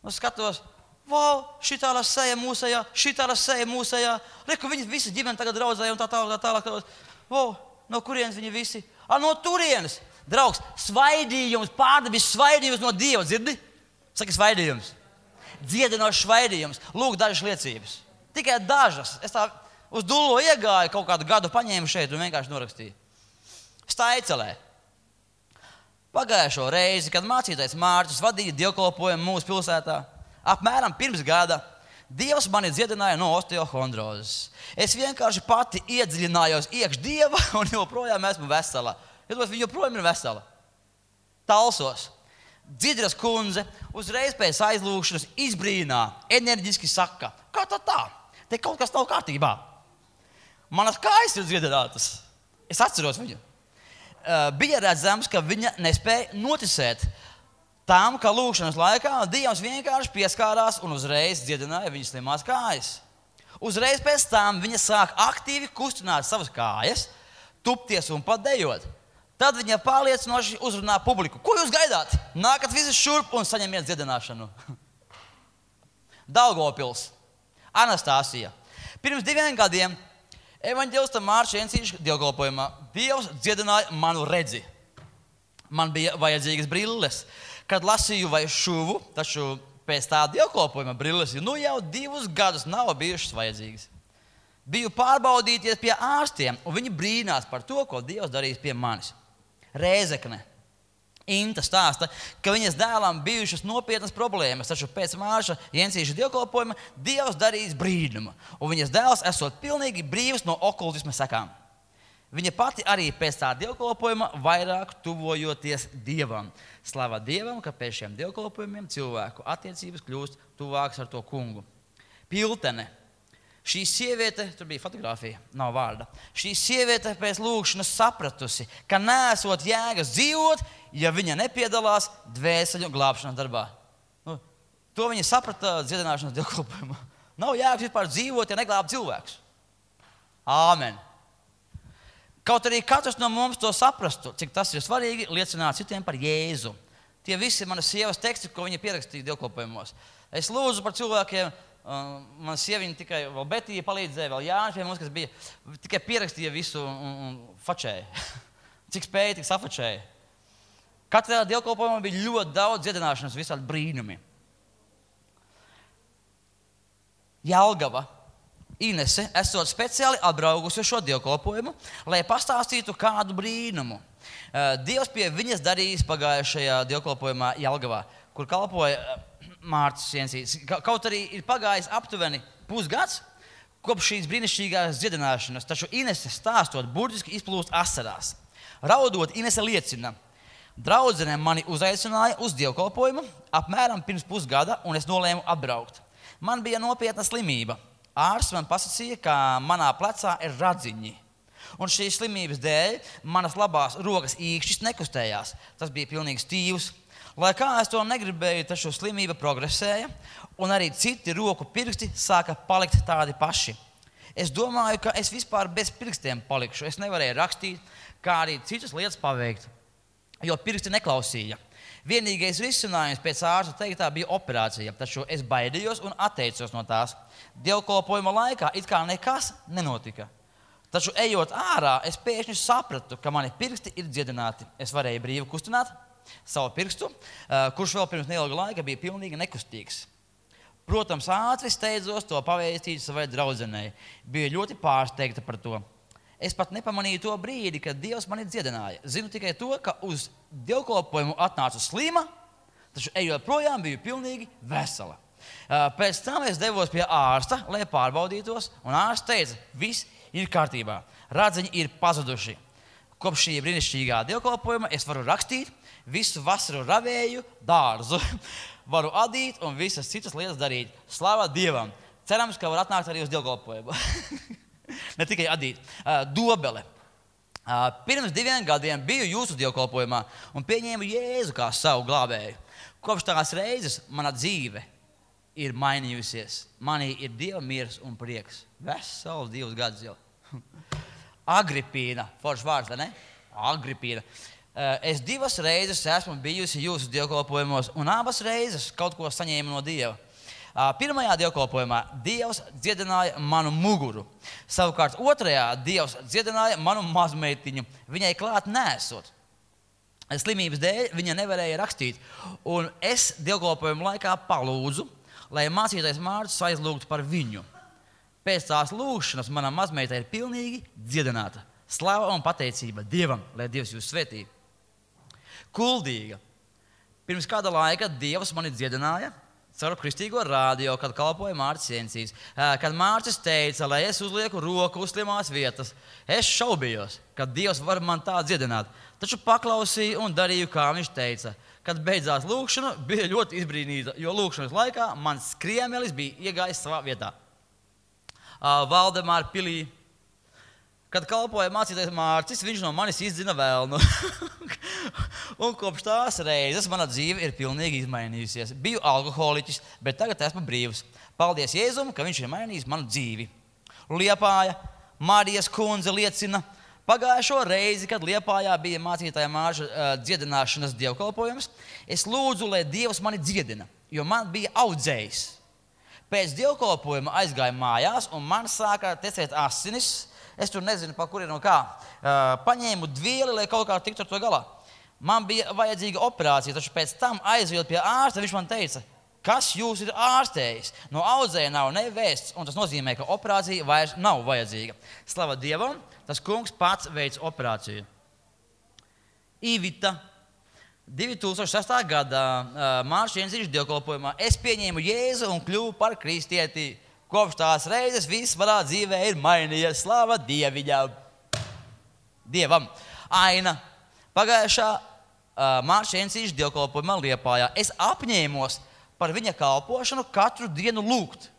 Un skatos, wow, šitāla seja mūsējā. Reku, viņi visi ģimeni tagad draudzēja un tā tālāk. Wow, no kurienes viņi visi? No turienes. Draugs, svaidījums, pārdabis svaidījums no Dieva, dzirdi? Saki svaidījums. Dziedinošs svaidījums. Lūk, dažas liecības. Tikai dažas. Es tā uz dullo iegāju, kaut kādu gadu paņēmu šeit un vienkārši norakstīju. Staicelē. Pagājušo reizi, kad mācītājs Mārcis vadīja dievkalpojumu mūsu pilsētā, apmēram pirms gada, Dievs mani dziedināja no osteohondrozes. Es vienkārši pati iedziļinājos iekš Dieva un joprojām esmu vesela. Viņa joprojām ir vesela. Talsos. Dzidras kundze uzreiz pēc aizlūgšanas izbrīnā, enerģiski saka, kā tā? Te kaut kas nav kārtībā. Manas kājas ir dziedinātas. Es atceros viņu. Bija redzams, ka viņa nespēja noticēt tam, ka lūgšanas laikā Dievs vienkārši pieskārās un uzreiz dziedināja viņas slimās kājas. Uzreiz pēc tam viņa sāk aktīvi kustināt savas kājas, tupties un pat dejot. Tad viņa pārliecinoši uzrunā publiku. Ko jūs gaidāt? Nākat visi šurp un saņemiet dziedināšanu. Daugavpils. Anastāsija. Pirms 2 gadiem evaņģēlista Mārča Jensīša dievkalpojumā Dievs dziedināja manu redzi. Man bija vajadzīgas brilles. Kad lasīju vai šuvu, taču pēc tā dievkalpojuma brilles jau 2 gadus nav bijušas vajadzīgas. Biju pārbaudīties pie ārstiem, un viņi brīnās par to, ko Dievs darīs pie manis. Rēzekne. Inta stāsta, ka viņas dēlam bijušas nopietnas problēmas, taču pēc Mārča Jensīša dievkalpojuma Dievs darīs brīnumu, un viņas dēls esot pilnīgi brīvs no okultisma sekām. Viņa pati arī pēc tā dievkalpojuma vairāk tuvojoties Dievam. Slava Dievam, ka pēc šiem dievkalpojumiem cilvēku attiecības kļūst tuvākas ar to kungu. Piltene. Šī sieviete, tur bija fotografija, nav vārda. Šī sieviete pēc lūgšanas sapratusi, ka nesot jēgas dzīvot, ja viņa nepiedalās dvēseļu glābšanas darbā. To viņa saprata dziedināšanas dievkalpojumā. Nav jēgas vispār dzīvot, ja neglāb cilvēkus. Āmen. Kaut arī katrs no mums to saprastu, cik tas ir svarīgi liecināt citiem par Jēzu. Tie visi ir manas sievas teksti, ko viņa pierakstīja dievkalpojumos. Es lūdzu par cilvēkiem, mana sieviņa tikai vēl Betija palīdzēja, vēl Jānis pie mums, kas bija, tikai pierakstīja visu un fačēja. Cik spēja, tik safačēja. Katrā dievkalpojumā bija ļoti daudz dziedināšanas, visādi brīnumi. Jelgava. Inese, esot speciāli atbraukusi uz šo dievkalpojumu, lai pastāstītu kādu brīnumu. Dievs pie viņas darījis pagājušajā dievkalpojumā Jelgavā, kur kalpoja Mārcis Jensīts. Kaut arī ir pagājis aptuveni pusgads kopš šīs brīnišķīgās dziedināšanas, taču Inese stāstot burtiski izplūst asarās. Raudot, Inese liecina: draudzene mani uzaicināja uz dievkalpojumu apmēram pirms pusgada, un es nolēmu atbraukt. Man bija nopietna slimība. Ārsts man pasacīja, ka manā plecā ir radziņi. Un šīs slimības dēļ manas labās rokas īkšķis nekustējās. Tas bija pilnīgi stīvs. Lai kā es to negribēju, taču slimība progresēja, un arī citi roku pirksti sāka palikt tādi paši. Es domāju, ka es vispār bez pirkstiem palikšu. Es nevarēju rakstīt, kā arī citas lietas paveikt, jo pirksti neklausīja. Vienīgais risinājums pēc ārsta teiktā bija operācija, taču es baidījos un atteicos no tās. Dievkalpojuma laikā it kā nekas nenotika. Taču ejot ārā, es pēkšņi sapratu, ka mani pirksti ir dziedināti. Es varēju brīvi kustināt savu pirkstu, kurš vēl pirms neilga laika bija pilnīgi nekustīgs. Protams, ātri steidzos to pavēstīt savai draudzenei. Biju ļoti pārsteigta par to. Es pat nepamanīju to brīdi, kad Dievs mani dziedināja. Zinu tikai to, ka uz dievkalpojumu atnācu slima, taču ejot projām biju pilnīgi vesela. Pēc tam es devos pie ārsta, lai pārbaudītos, un ārsts teica: viss ir kārtībā, radziņi ir pazuduši. Kopš šī brīnišķīgā dievkalpojuma es varu rakstīt, visu vasaru ravēju dārzu, varu adīt un visas citas lietas darīt. Slava Dievam! Cerams, ka var atnākt arī uz dievkalpojumu. Ne tikai adīt. Dobele. Pirms 2 gadiem biju jūsu dievkalpojumā un pieņēmu Jēzu kā savu glābēju. Kopš tās reizes mana dzīve ir mainījusies. Manī ir Dieva miers un prieks. Vesels 2 gadus jau. Agripīna. Foršs vārds, vai ne? Agripīna. Es 2 reizes esmu bijusi jūsu dievkalpojumos un abas reizes kaut ko saņēmu no Dieva. Pirmajā dievkalpojumā Dievs dziedināja manu muguru. Savukārt otrajā Dievs dziedināja manu mazmeitiņu, viņai klāt nesot. Slimības dēļ viņa nevarēja rakstīt, un es dievkalpojuma laikā palūdzu, lai mācītājs Mārcis aizlūgtu par viņu. Pēc tās lūgšanas mana mazmeita ir pilnīgi dziedināta. Slava un pateicība Dievam, lai Dievs jūs svētī. Kuldīga. Pirms kāda laika Dievs mani dziedināja caur kristīgo rādio, kad kalpoja Mārcis Jensīts. Kad Mārcis teica, lai es uzlieku roku uz slimās vietas, es šaubījos, ka Dievs var man tā dziedināt. Taču paklausīju un darīju, kā viņš teica. Kad beidzās lūgšana, bija ļoti izbrīnīta, jo lūgšanas laikā mans skriemelis bija iegājis savā vietā. Valdemāra pilī. Kad kalpoja mācītājs Mārcis, viņš no manis izdzina velnu. Un kopš tās reizes mana dzīve ir pilnīgi izmainījusies. Biju alkoholiķis, bet tagad esmu brīvs. Paldies Jēzum, ka viņš ir mainījis manu dzīvi. Liepāja, Marijas kundze liecina, pagājušo reizi, kad Liepājā bija mācītāja Mārša dziedināšanas dievkalpojums, es lūdzu, lai Dievs mani dziedina, jo man bija audzējs. Pēc dievkalpojuma aizgāju mājās, un man sāka tecēt asinis. Es tur nezinu, pa kurien un kā. Paņēmu dvieli, lai kaut kā tiktu ar to galā. Man bija vajadzīga operācija, taču pēc tam aizjot pie ārsta, viņš man teica, kas jūs ir ārstējis? No audzēja nav nevēsts, un tas nozīmē, ka operācija vairs nav vajadzīga. Slava Dievam, tas kungs pats veic operāciju. Ivita. 2006. gadā Mārcis Jensīts dievkalpojumā es pieņēmu Jēzu un kļuvu par kristieti. Kopš tās reizes viss manā dzīvē ir mainījies. Slava Dievam. Aina. Pagājušā Mārcis Jensīts dievkalpojumā Liepājā es apņēmos par viņa kalpošanu katru dienu lūgt.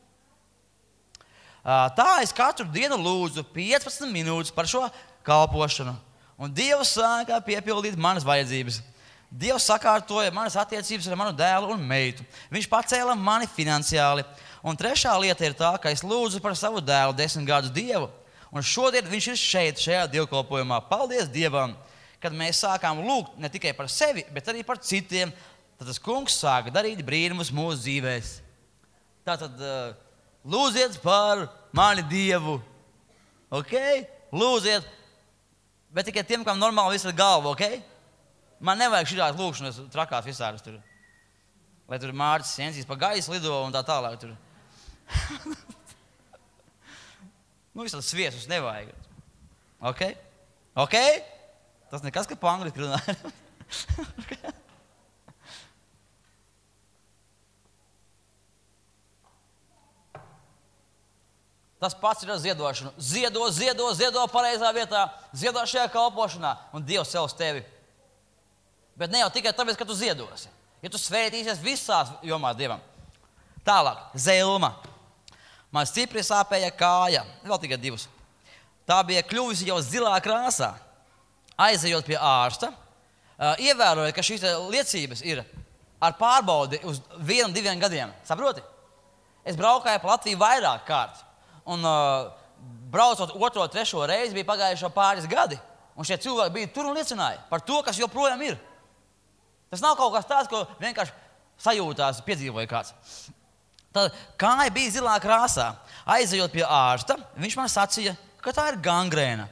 Tā es katru dienu lūdzu 15 minūtes par šo kalpošanu. Un Dievs sāka piepildīt manas vajadzības. Dievs sakārtoja manas attiecības ar manu dēlu un meitu. Viņš pacēla mani finansiāli. Un trešā lieta ir tā, ka es lūdzu par savu dēlu 10 gadus Dievu, Un šodien viņš ir šeit, šajā dievkalpojumā. Paldies Dievam, kad mēs sākām lūgt ne tikai par sevi, bet arī par citiem. Tad tas kungs sāka darīt brīnumus mūsu dzīvēs. Tātad lūdziet par mani Dievu. Ok? Lūdziet. Bet tikai tiem, kam normāli viss ir galva, ok? Man nevajag šitās lūkšanas trakās visādas tur. Lai tur Mārcis Jensīs pa gaisu lido un tā tālāk tur. Visādi sviesus nevajag. Ok? Ok? Tas nekas, ka pa angliski runāja. Tas pats ir ar ziedošanu. Ziedo pareizā vietā. Ziedo šajā kalpošanā. Un Dievs cels tevi. Bet ne jau tikai tāpēc, ka tu ziedosi. Ja tu svētīsies visās jomās Dievam. Tālāk. Zelma. Man stipri sāpēja kāja. Vēl tikai 2. Tā bija kļuvusi jau zilā krāsā. Aizejot pie ārsta, ievēroja, ka šīs liecības ir ar pārbaudi uz 1-2 gadiem. Saproti? Es braukāju pa Latviju vairāk kārt. Un braucot 2. 3. reizi bija pagājušo pāris gadi. Un šie cilvēki bija tur un liecināja par to, kas joprojām ir. Tas nav kaut kas tāds, ko vienkārši sajūtās, piedzīvoja kāds. Tad kāja bija zilā krāsā. Aizejot pie ārsta, viņš man sacīja, ka tā ir gangrēna.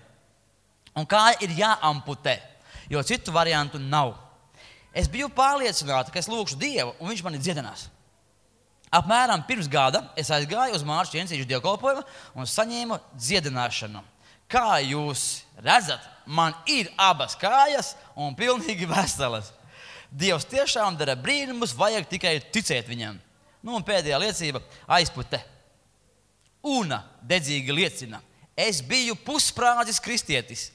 Un kāja ir jāamputē, jo citu variantu nav. Es biju pārliecināta, ka es lūkšu Dievu, un viņš mani dziedinās. Apmēram pirms gada es aizgāju uz Mārcis Jensīša dievkalpojumu un saņēmu dziedināšanu. Kā jūs redzat, man ir abas kājas un pilnīgi veselas. Dievs tiešām dara brīnumus, vajag tikai ticēt viņam. Un pēdējā liecība - aizpute. Una dedzīgi liecina. Es biju pusprādzis kristietis.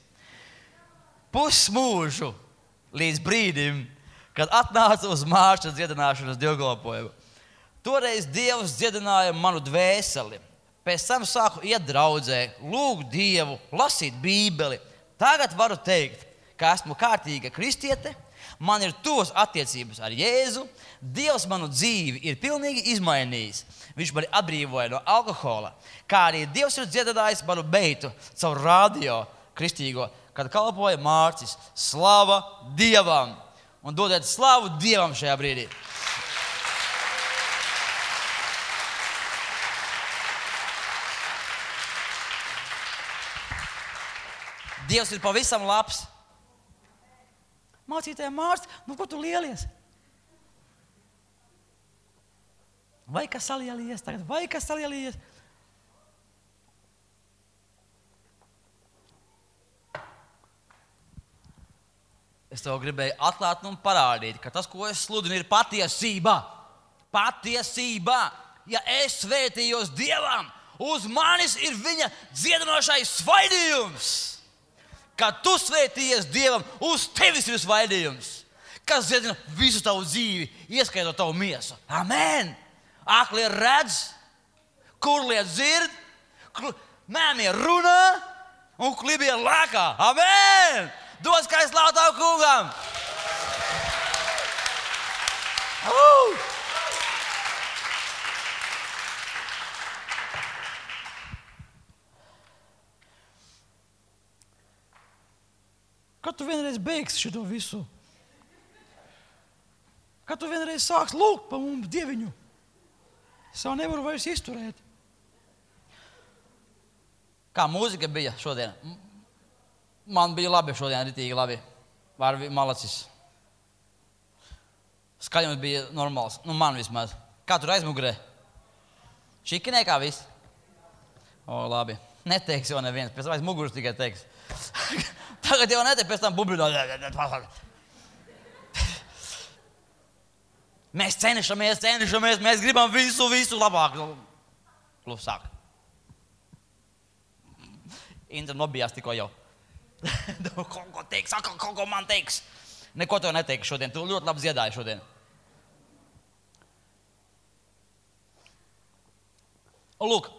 Pusmūžu līdz brīdim, kad atnāca uz Mārča dziedināšanas dievkalpojumu. Toreiz Dievs dziedināja manu dvēseli. Pēc tam sāku iet draudzē, lūgt Dievu, lasīt Bībeli. Tagad varu teikt, ka esmu kārtīga kristiete, man ir tuvas attiecības ar Jēzu, Dievs manu dzīvi ir pilnīgi izmainījis. Viņš mani atbrīvoja no alkohola, kā arī Dievs ir dziedinājis manu meitu caur radio kristīgo, kad kalpoja Mārcis. Slava Dievam! Un dodiet slavu Dievam šajā brīdī. Dievs ir pavisam labs. Mācītāja Mārcis, ko tu lielies? Vai kas salielies tagad? Vai kas salielies? Es tev gribēju atklāt un parādīt, ka tas, ko es sludinu, ir patiesība. Patiesība. Ja es svētījos Dievam, uz manis ir viņa dziedinošais svaidījums. Kad tu svētījies Dievam, uz tevis ir svaidījums, kas dziedina visu tavu dzīvi, ieskaitot tavu miesu. Amen! Aklie redz, kurlie dzird, mēmie runā un klibie lēkā. Amen! Dod skaistu slavu tavu kungam! Kad tu vienreiz beigsi šito visu? Kad tu vienreiz sāks lūgt pa mums Dieviņu? Es jau nevaru vairs izturēt. Kā mūzika bija šodien? Man bija labi šodien, ritīgi labi. Varvi malacis. Skaļums bija normāls. Man vismaz. Kā tur aizmugurē? Šikinē kā viss? Labi. Neteiks jau neviens. Pēc tam aiz muguras tikai teiks. Tagad jau neteiks, pēc tam bubļināt. Mēs cenšamies, mēs gribam visu labāk. Klusāk. Intra nobijās tikko jau. Kaut ko teiks, kaut ko man teiks. Neko tev neteiks šodien, tu ļoti labi dziedāji šodien. Lūk,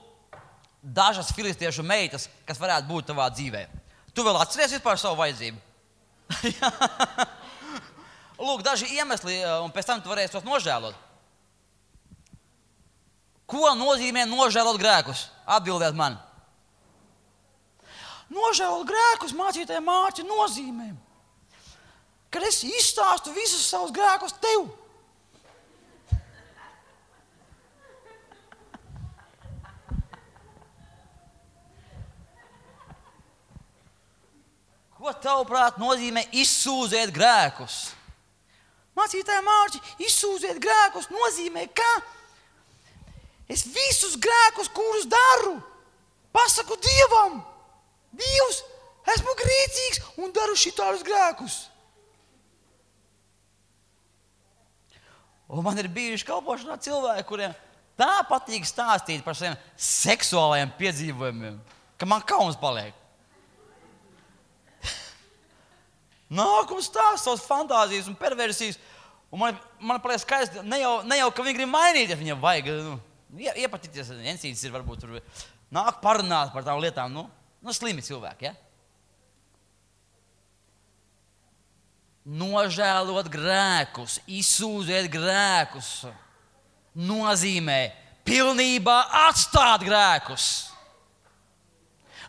dažas filistiešu meitas, kas varētu būt tavā dzīvē. Tu vēl atceries par savu vajadzību? Lūk, daži iemesli, un pēc tam tu varēsi tos nožēlot. Ko nozīmē nožēlot grēkus? Atbildiet man. nožēlot grēkus mācītāja Mārķa nozīmēm. Kad es izstāstu visus savus grēkus tev. Ko tavuprāt nozīmē izsūdzēt grēkus? Mācītāja Mārķi, izsūdzēt grēkus nozīmē, ka es visus grēkus, kurus daru, pasaku Dievam. Dievs, esmu grēcīgs un daru šitādus grēkus. Un man ir bijuši kalpošanā cilvēki, kuriem tā patīk stāstīt par saviem seksuālajiem piedzīvojumiem, ka man kauns paliek. Nāk un stāst savas fantāzijas un perversijas. Un man paliek skaisti, ne jau ka viņi grib mainīt, ja viņam vajag. Iepatīties, encītis ir varbūt tur. Nāk parunāt par tām lietām. Slimi cilvēki, ja? Nožēlot grēkus, izsūdzēt grēkus nozīmē pilnībā atstāt grēkus.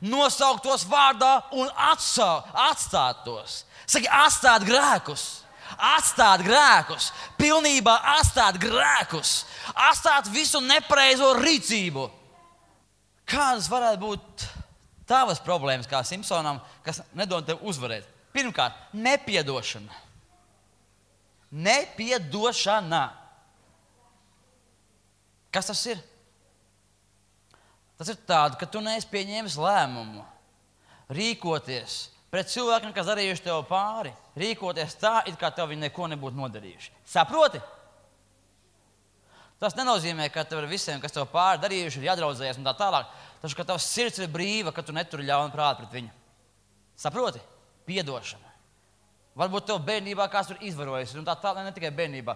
Nosaukt tos vārdā un atstāt tos. Saki, atstāt grēkus. Atstāt grēkus. Pilnībā atstāt grēkus. Atstāt visu nepareizo rīcību. Kādas varētu būt tavas problēmas kā Simpsonam, kas nedod tev uzvarēt? Pirmkārt, nepiedošana. Nepiedošana. Kas tas ir? Tas ir tāda, ka tu neesi pieņēmis lēmumu rīkoties pret cilvēkiem, kas darījuši tev pāri. Rīkoties tā, it kā tev viņi neko nebūtu nodarījuši. Saproti? Tas nenozīmē, ka tev ar visiem, kas tev pāri darījuši, ir jādraudzējies un tā tālāk. Taču, ka tavs sirds ir brīva, ka tu neturi ļaunu prātu pret viņu. Saproti? Piedošana. Varbūt tev bērnībā kāds tur izvarojis, un tā tālāk, ne tikai bērnībā.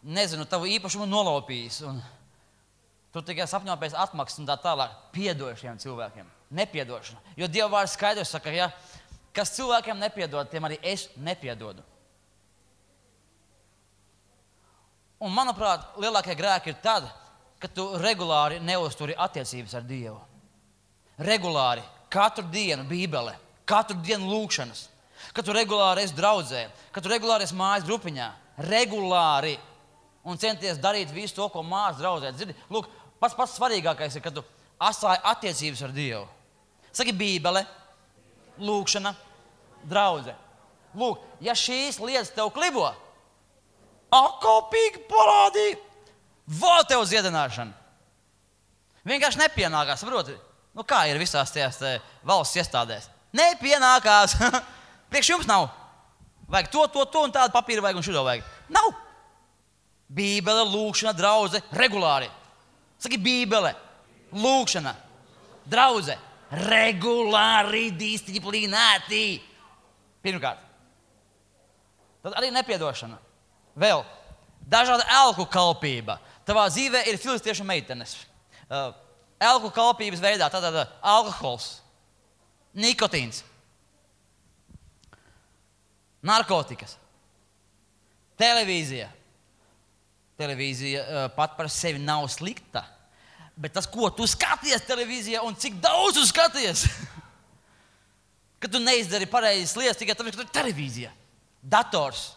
Nezinu, tavu īpašumu nolaupījis, un tu tikai sapņo pēc atmaksas un tā tālāk. Piedod šiem cilvēkiem. Nepiedošana. Jo Dieva vārds skaidrs saka, ja, kas cilvēkiem nepiedod, tiem arī es nepiedodu. Un, manuprāt, lielākie grēki ir tad, kad tu regulāri neuzturi attiecības ar Dievu. Regulāri, katru dienu Bībele, katru dienu lūkšanas, kad tu regulāri esi draudzē, kad tu regulāri esi mājas grupiņā, regulāri un centies darīt visu to, ko mājas draudzē. Dzirdi? Lūk, pats svarīgākais ir, kad tu asāji attiecības ar Dievu. Saki Bībele, lūkšana, draudze. Lūk, ja šīs lietas tev klibo, kopīgi parādīja, vēl tev ziedināšana. Vienkārši nepienākās, saproti? Kā ir visās tajās valsts iestādēs? Nepienākās. Priekš jums nav. Vajag to un tādu papīru vajag un šito vajag. Nav. Bībele, lūkšana, draudze, regulāri. Saki Bībele, lūkšana, draudze, regulāri, disciplinēti. Pirmkārt. Tad arī nepiedošana. Vēl dažāda elku kalpība. Tavā dzīvē ir filistiešu meitenes. Elku kalpības veidā tātad alkohols, nikotīns, narkotikas, televīzija. Televīzija pat par sevi nav slikta, bet tas, ko tu skaties televīzijā un cik daudz tu skaties, ka tu neizdari pareizas lietas tikai tāpēc, ka tu ir televīzija, dators,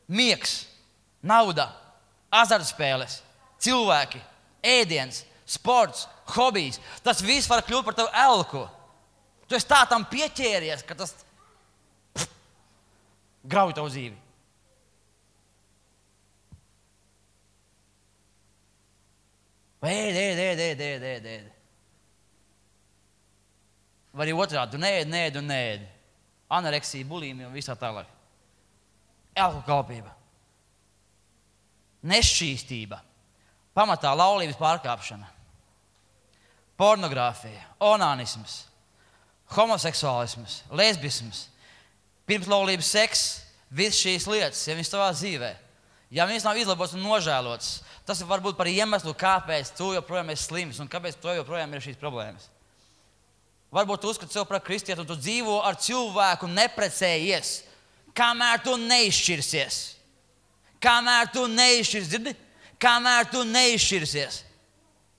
miegs, nauda, azartspēles, cilvēki, ēdiens, sports, hobijs. Tas viss var kļūt par tavu elku. Tu esi tā tam pieķēries, ka tas grauj tavu dzīvi. Ēd. Vai arī otrādi, tu neēd. Anoreksija, bulīmija un visā tālāk. Elku kalpība. Nešķīstība. Pamatā laulības pārkāpšana. Pornogrāfija, onānisms, homoseksuālisms, lesbisms, pirmslaulības seks, visas šīs lietas, ja viņas tavā dzīvē, ja viņas nav izlabotas un nožēlotas, tas var būt par iemeslu, kāpēc tu joprojām esi slims un kāpēc tu joprojām ir šīs problēmas. Varbūt tu uzskati sev par kristieti un tu dzīvo ar cilvēku neprecējies, kamēr tu neizšķirsies. Kamēr tu neizšķirsies, dzirdi? Kamēr tu neizšķirsies.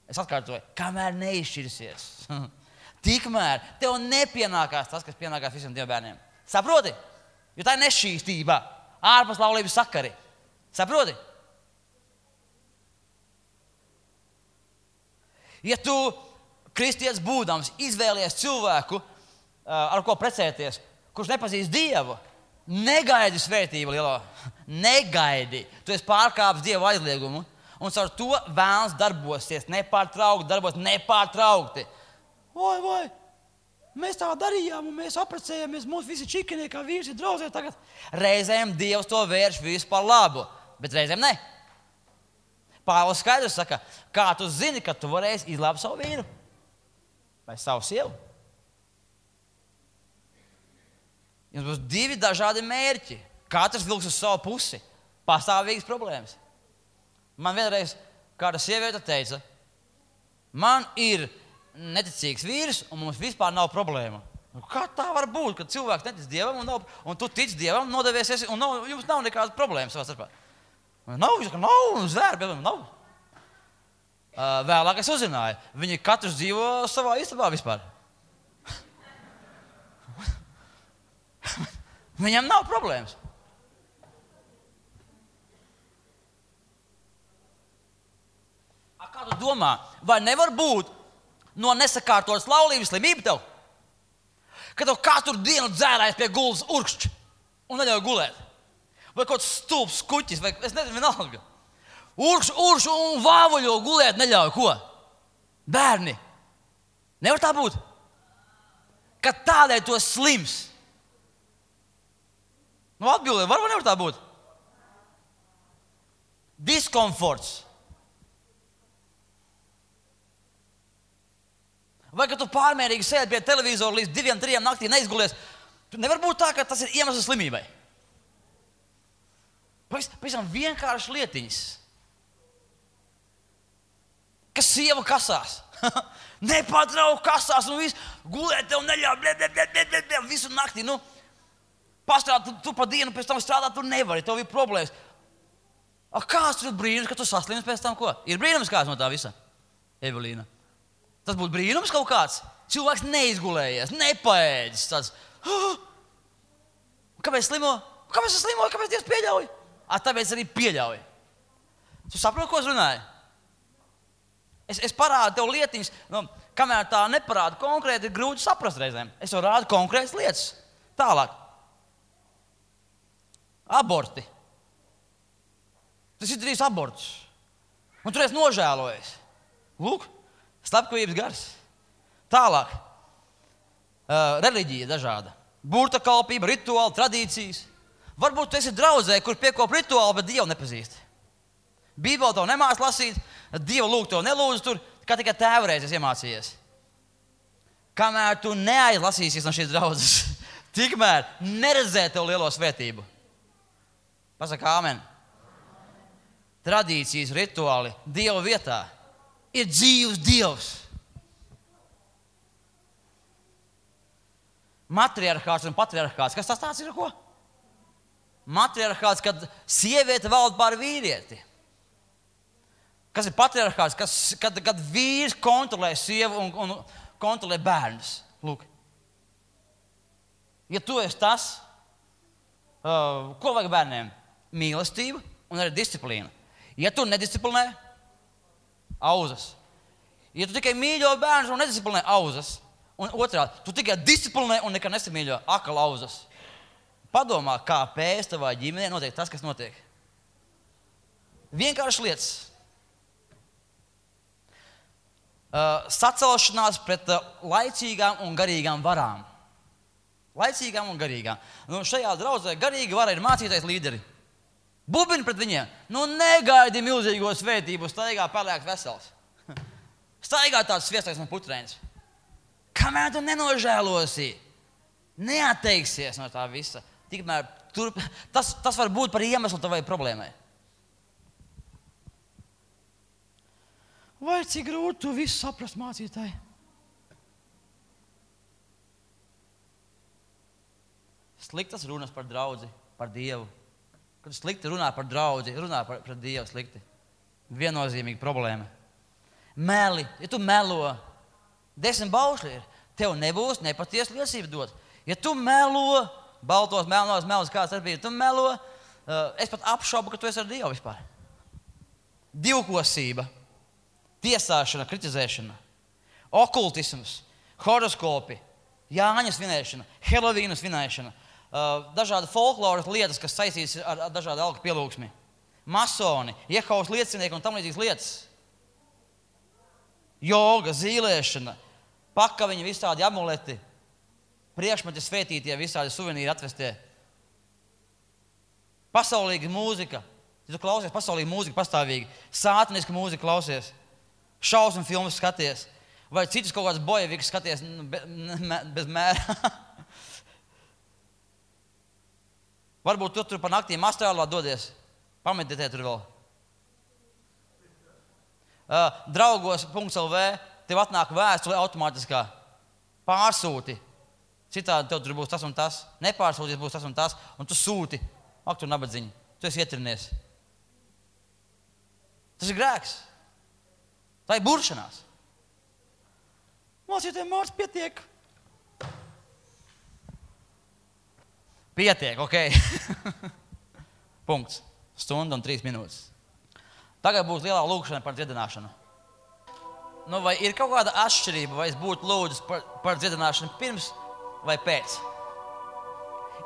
Es atkārtoju, kamēr neizšķirsies. Tikmēr tev nepienākās tas, kas pienākās visiem Dieva bērniem. Saproti? Jo tā ir nešķīstība, ārpus laulības sakari. Saproti? Ja tu, kristietis būdams, izvēlies cilvēku, ar ko precēties, kurš nepazīst Dievu, negaidi svētību lielo. Negaidi. Tu esi pārkāpis Dieva aizliegumu, un caur to vēlns darbosies nepārtraukti. Vai, mēs tā darījām, un mēs apprecējāmies, mums visi čikanie, kā vīrs ir draudzē tagad. Reizēm Dievs to vērš visu par labu, bet reizēm ne. Pāvils skaidrs saka, kā tu zini, ka tu varēsi izglābt savu vīru vai savu sievu. Jums būs divi dažādi mērķi. Katrs vilks uz savu pusi. Pastāvīgas problēmas. Man vienreiz kāda sieviete teica, man ir neticīgs vīrs, un mums vispār nav problēma. Kā tā var būt, kad cilvēks netic Dievam, un tu tici Dievam, nodevies, un jums nav nekādas problēmas savā starpā? Nav, zvēr, nav. Vēlāk es uzzināju, viņi katrs dzīvo savā istabā vispār. Viņam nav problēmas. Kā tu domā, vai nevar būt no nesakārtotas laulības slimība tev? Ka tev katru dienu dzērājas pie gultas urkšķi un neļauj gulēt. Vai kaut kāds stulbs kuķis, vai es nezinu, vienalga. Urkšķi un vāvuļo gulēt neļauj. Ko? Bērni. Nevar tā būt? Ka tādēļ tu esi slims. Atbildē, var vai nevar tā būt? Diskomforts. Vai ka tu pārmērīgi sēdi pie televizora līdz 2-3 naktī neizgulies? Nevar būt tā, ka tas ir iemesls slimībai. Pavisam vienkārši lietiņas. Ka sieva kasās. Nepārtraukti kasās un viss gulēt tev neļauj visu naktī. Pastrādā, tu pa dienu pēc tam strādāt, tu nevari, tev ir problēmas. Kāds tur ir brīnums, ka tu saslims pēc tam ko? Ir brīnums kāds no tā visa, Evelīna? Tas būtu brīnums kaut kāds. Cilvēks neizgulējies, nepaēdis. Tāds, kāpēc slimo? Kāpēc es slimoju? Kāpēc Dievs pieļauj? Tāpēc arī pieļauj. Tu saproti, ko es runāju? Es parādu tev lietiņas, kamēr tā neparāda konkrēti, ir grūti saprast reizēm. Es jau rādu konkrētas lietas. Tālāk. Aborti. Tas ir drīz abortus. Un tur es nožēlojies. Lūk. Slepkavības gars. Tālāk. Reliģija dažāda. Burtakalpība, rituāli, tradīcijas. Varbūt tu esi draudzē, kur piekop rituāli, bet Dievu nepazīst. Bībeli tev nemāc lasīt, Dievu lūgt tev nelūdz tur, kā tikai tēvu reiz iemācījies. Kamēr tu neaizlasīsies no šīs draudzes, tikmēr neredzē tev lielo svētību. Pasaka āmen. Tradīcijas, rituāli Dieva vietā. Ir dzīvs Dievs. Matriarchāts un patriarchāts. Kas tas tāds ir? Ko? Matriarchāts, kad sieviete valda pār vīrieti. Kas ir patriarchāts? Kad vīrs kontrolē sievu un kontrolē bērnus. Lūk. Ja tu esi tas, ko vajag bērniem? Mīlestību un arī disciplīnu. Ja tu nedisciplinē, auzas. Ja tu tikai mīļo bērnus un nedisciplinē, auzas. Un otrādi, tu tikai disciplinē un nekad nesamīļo, akal auzas. Padomā, kāpēc tavā ģimenē notiek tas, kas notiek. Vienkārši lietas. Sacelšanās pret laicīgām un garīgām varām. Laicīgām un garīgām. Šajā draudzē garīgi vara ir mācītais līderi. Bubini pret viņiem. Negaidi milzīgo svētību, staigā pelēks vesels. Staigā tāds sviestais un putrēns. Kamēr tu nenožēlosi, neatteiksies no tā visa. Tikmēr tas var būt par iemeslu tavai problēmai. Vai cik grūti tu visu saprast, mācītāji? Sliktas runas par draudzi, par Dievu. Kad slikti runā par draudzi, runā par Dievu slikti. Viennozīmīga problēma. Meli, ja tu melo, 10 baušļi ir. tev nebūs nepatiesa liecība dot. Ja tu melo, baltos, melnos, kāds ar bija, tu melo, es pat apšaubu, ka tu esi ar Dievu vispār. Divkosība, tiesāšana, kritizēšana, okultisms, horoskopi, Jāņa svinēšana, Helovīna svinēšana, dažādi folkloras lietas, kas saistītas ar dažādu alku pielūgsmi, masoni, Jehovas liecinieki un tam līdzīgas lietas, joga, zīlēšana, pakaviņi, visādi amuleti, priekšmeti svētītie, visādi suvenīri atvestie, pasaulīga mūzika. Ja tu klausies pasaulīgu mūziku pastāvīgi, sātaniska mūzika klausies, šausmu filmas skaties, vai citus kaut kāds bojeviks skaties bez mēra. Varbūt tu tur pa naktīm astrālā dodies, pameditē tur vēl. Draugos.lv tev atnāk vēstule automātiskā, pārsūti. Citādi tev tur būs tas un tas, nepārsūties būs tas un tas, un tu sūti. Ak, tur nabadziņi, tu esi ietrinies. Tas ir grēks. Tā ir buršanās. Mācītē, Mārts, pietiek. Pietiek, ok. Punkts. Stunda un 3 minūtes. Tagad būs lielā lūkšana par dziedināšanu. Nu, vai ir kaut kāda atšķirība, vai es būtu lūdzis par dziedināšanu pirms vai pēc?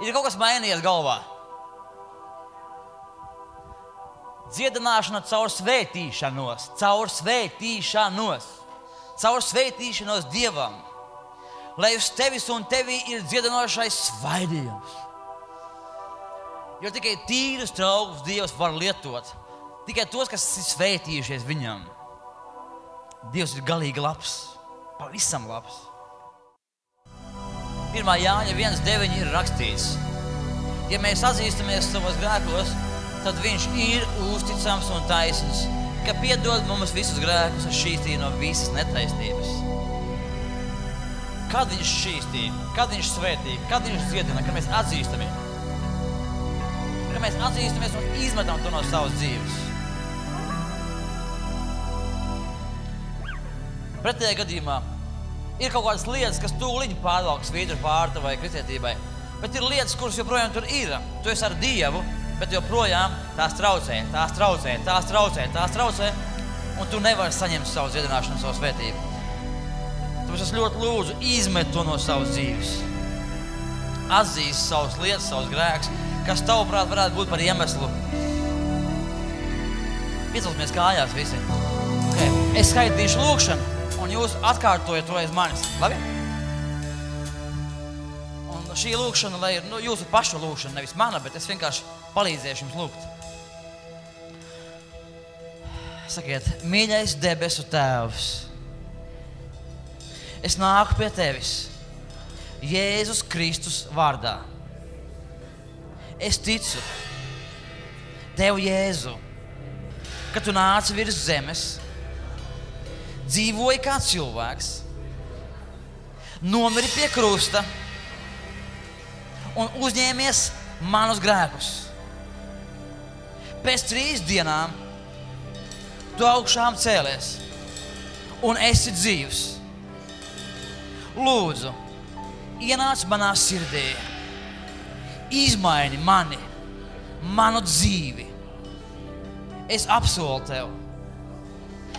Ir kaut kas mainījies galvā. Dziedināšana caur svētīšanos, caur svētīšanos Dievam, lai uz tevis un tevī ir dziedinošais svaidījums. Jo tikai tīrus traukus Dievs var lietot, tikai tos, kas ir svētījušies viņam. Dievs ir galīgi labs, pavisam labs. 1. Jāņa 1.9 ir rakstīts: ja mēs atzīstamies savos grēkos, tad viņš ir uzticams un taisns, ka piedod mums visus grēkus un šķīstī no visas netaisnības. Kad viņš šķīstī, kad viņš svētī, kad viņš dziedina, kad mēs atzīstamies. Kad mēs atzīstamies un izmetam to no savas dzīves. Pretējā gadījumā ir kaut kādas lietas, kas tūliņ pārvalks svītru pārta vai kristietībai, bet ir lietas, kuras joprojām tur ir. Tu esi ar Dievu, bet joprojām tās traucē, un tu nevari saņemt savu dziedināšanu, savu svētību. Tāpēc es ļoti lūdzu, izmet to no savas dzīves. Atzīst savas lietas, savus grēkus, kas tavuprāt varētu būt par iemeslu. Piecelsimies kājās visi. Okay. Es skaitīšu lūkšanu, un jūs atkārtojat to aiz manis. Labi? Un šī lūkšana, lai ir jūsu pašu lūkšana, nevis mana, bet es vienkārši palīdzēšu jums lūgt. Sakiet, mīļais debesu Tēvs, es nāku pie Tevis Jēzus Kristus vārdā. Es ticu Tev, Jēzu, ka Tu nāci virs zemes, dzīvoji kā cilvēks, nomiri pie krusta un uzņēmies manus grēkus. Pēc 3 dienām Tu augšām cēlies un esi dzīvs. Lūdzu, ienāc manā sirdī, izmaini mani, manu dzīvi. Es apsolu Tev,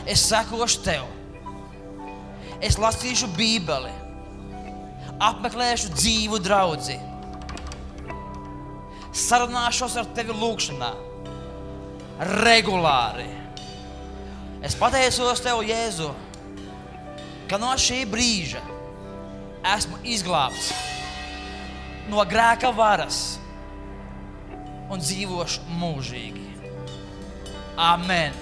es sekošu Tev, es lasīšu Bībeli, apmeklēšu dzīvu draudzi, sarunāšos ar Tevi lūkšanā, regulāri. Es pateicos Tev, Jēzu, ka no šī brīža esmu izglābts no grēka varas un dzīvošu mūžīgi. Amen.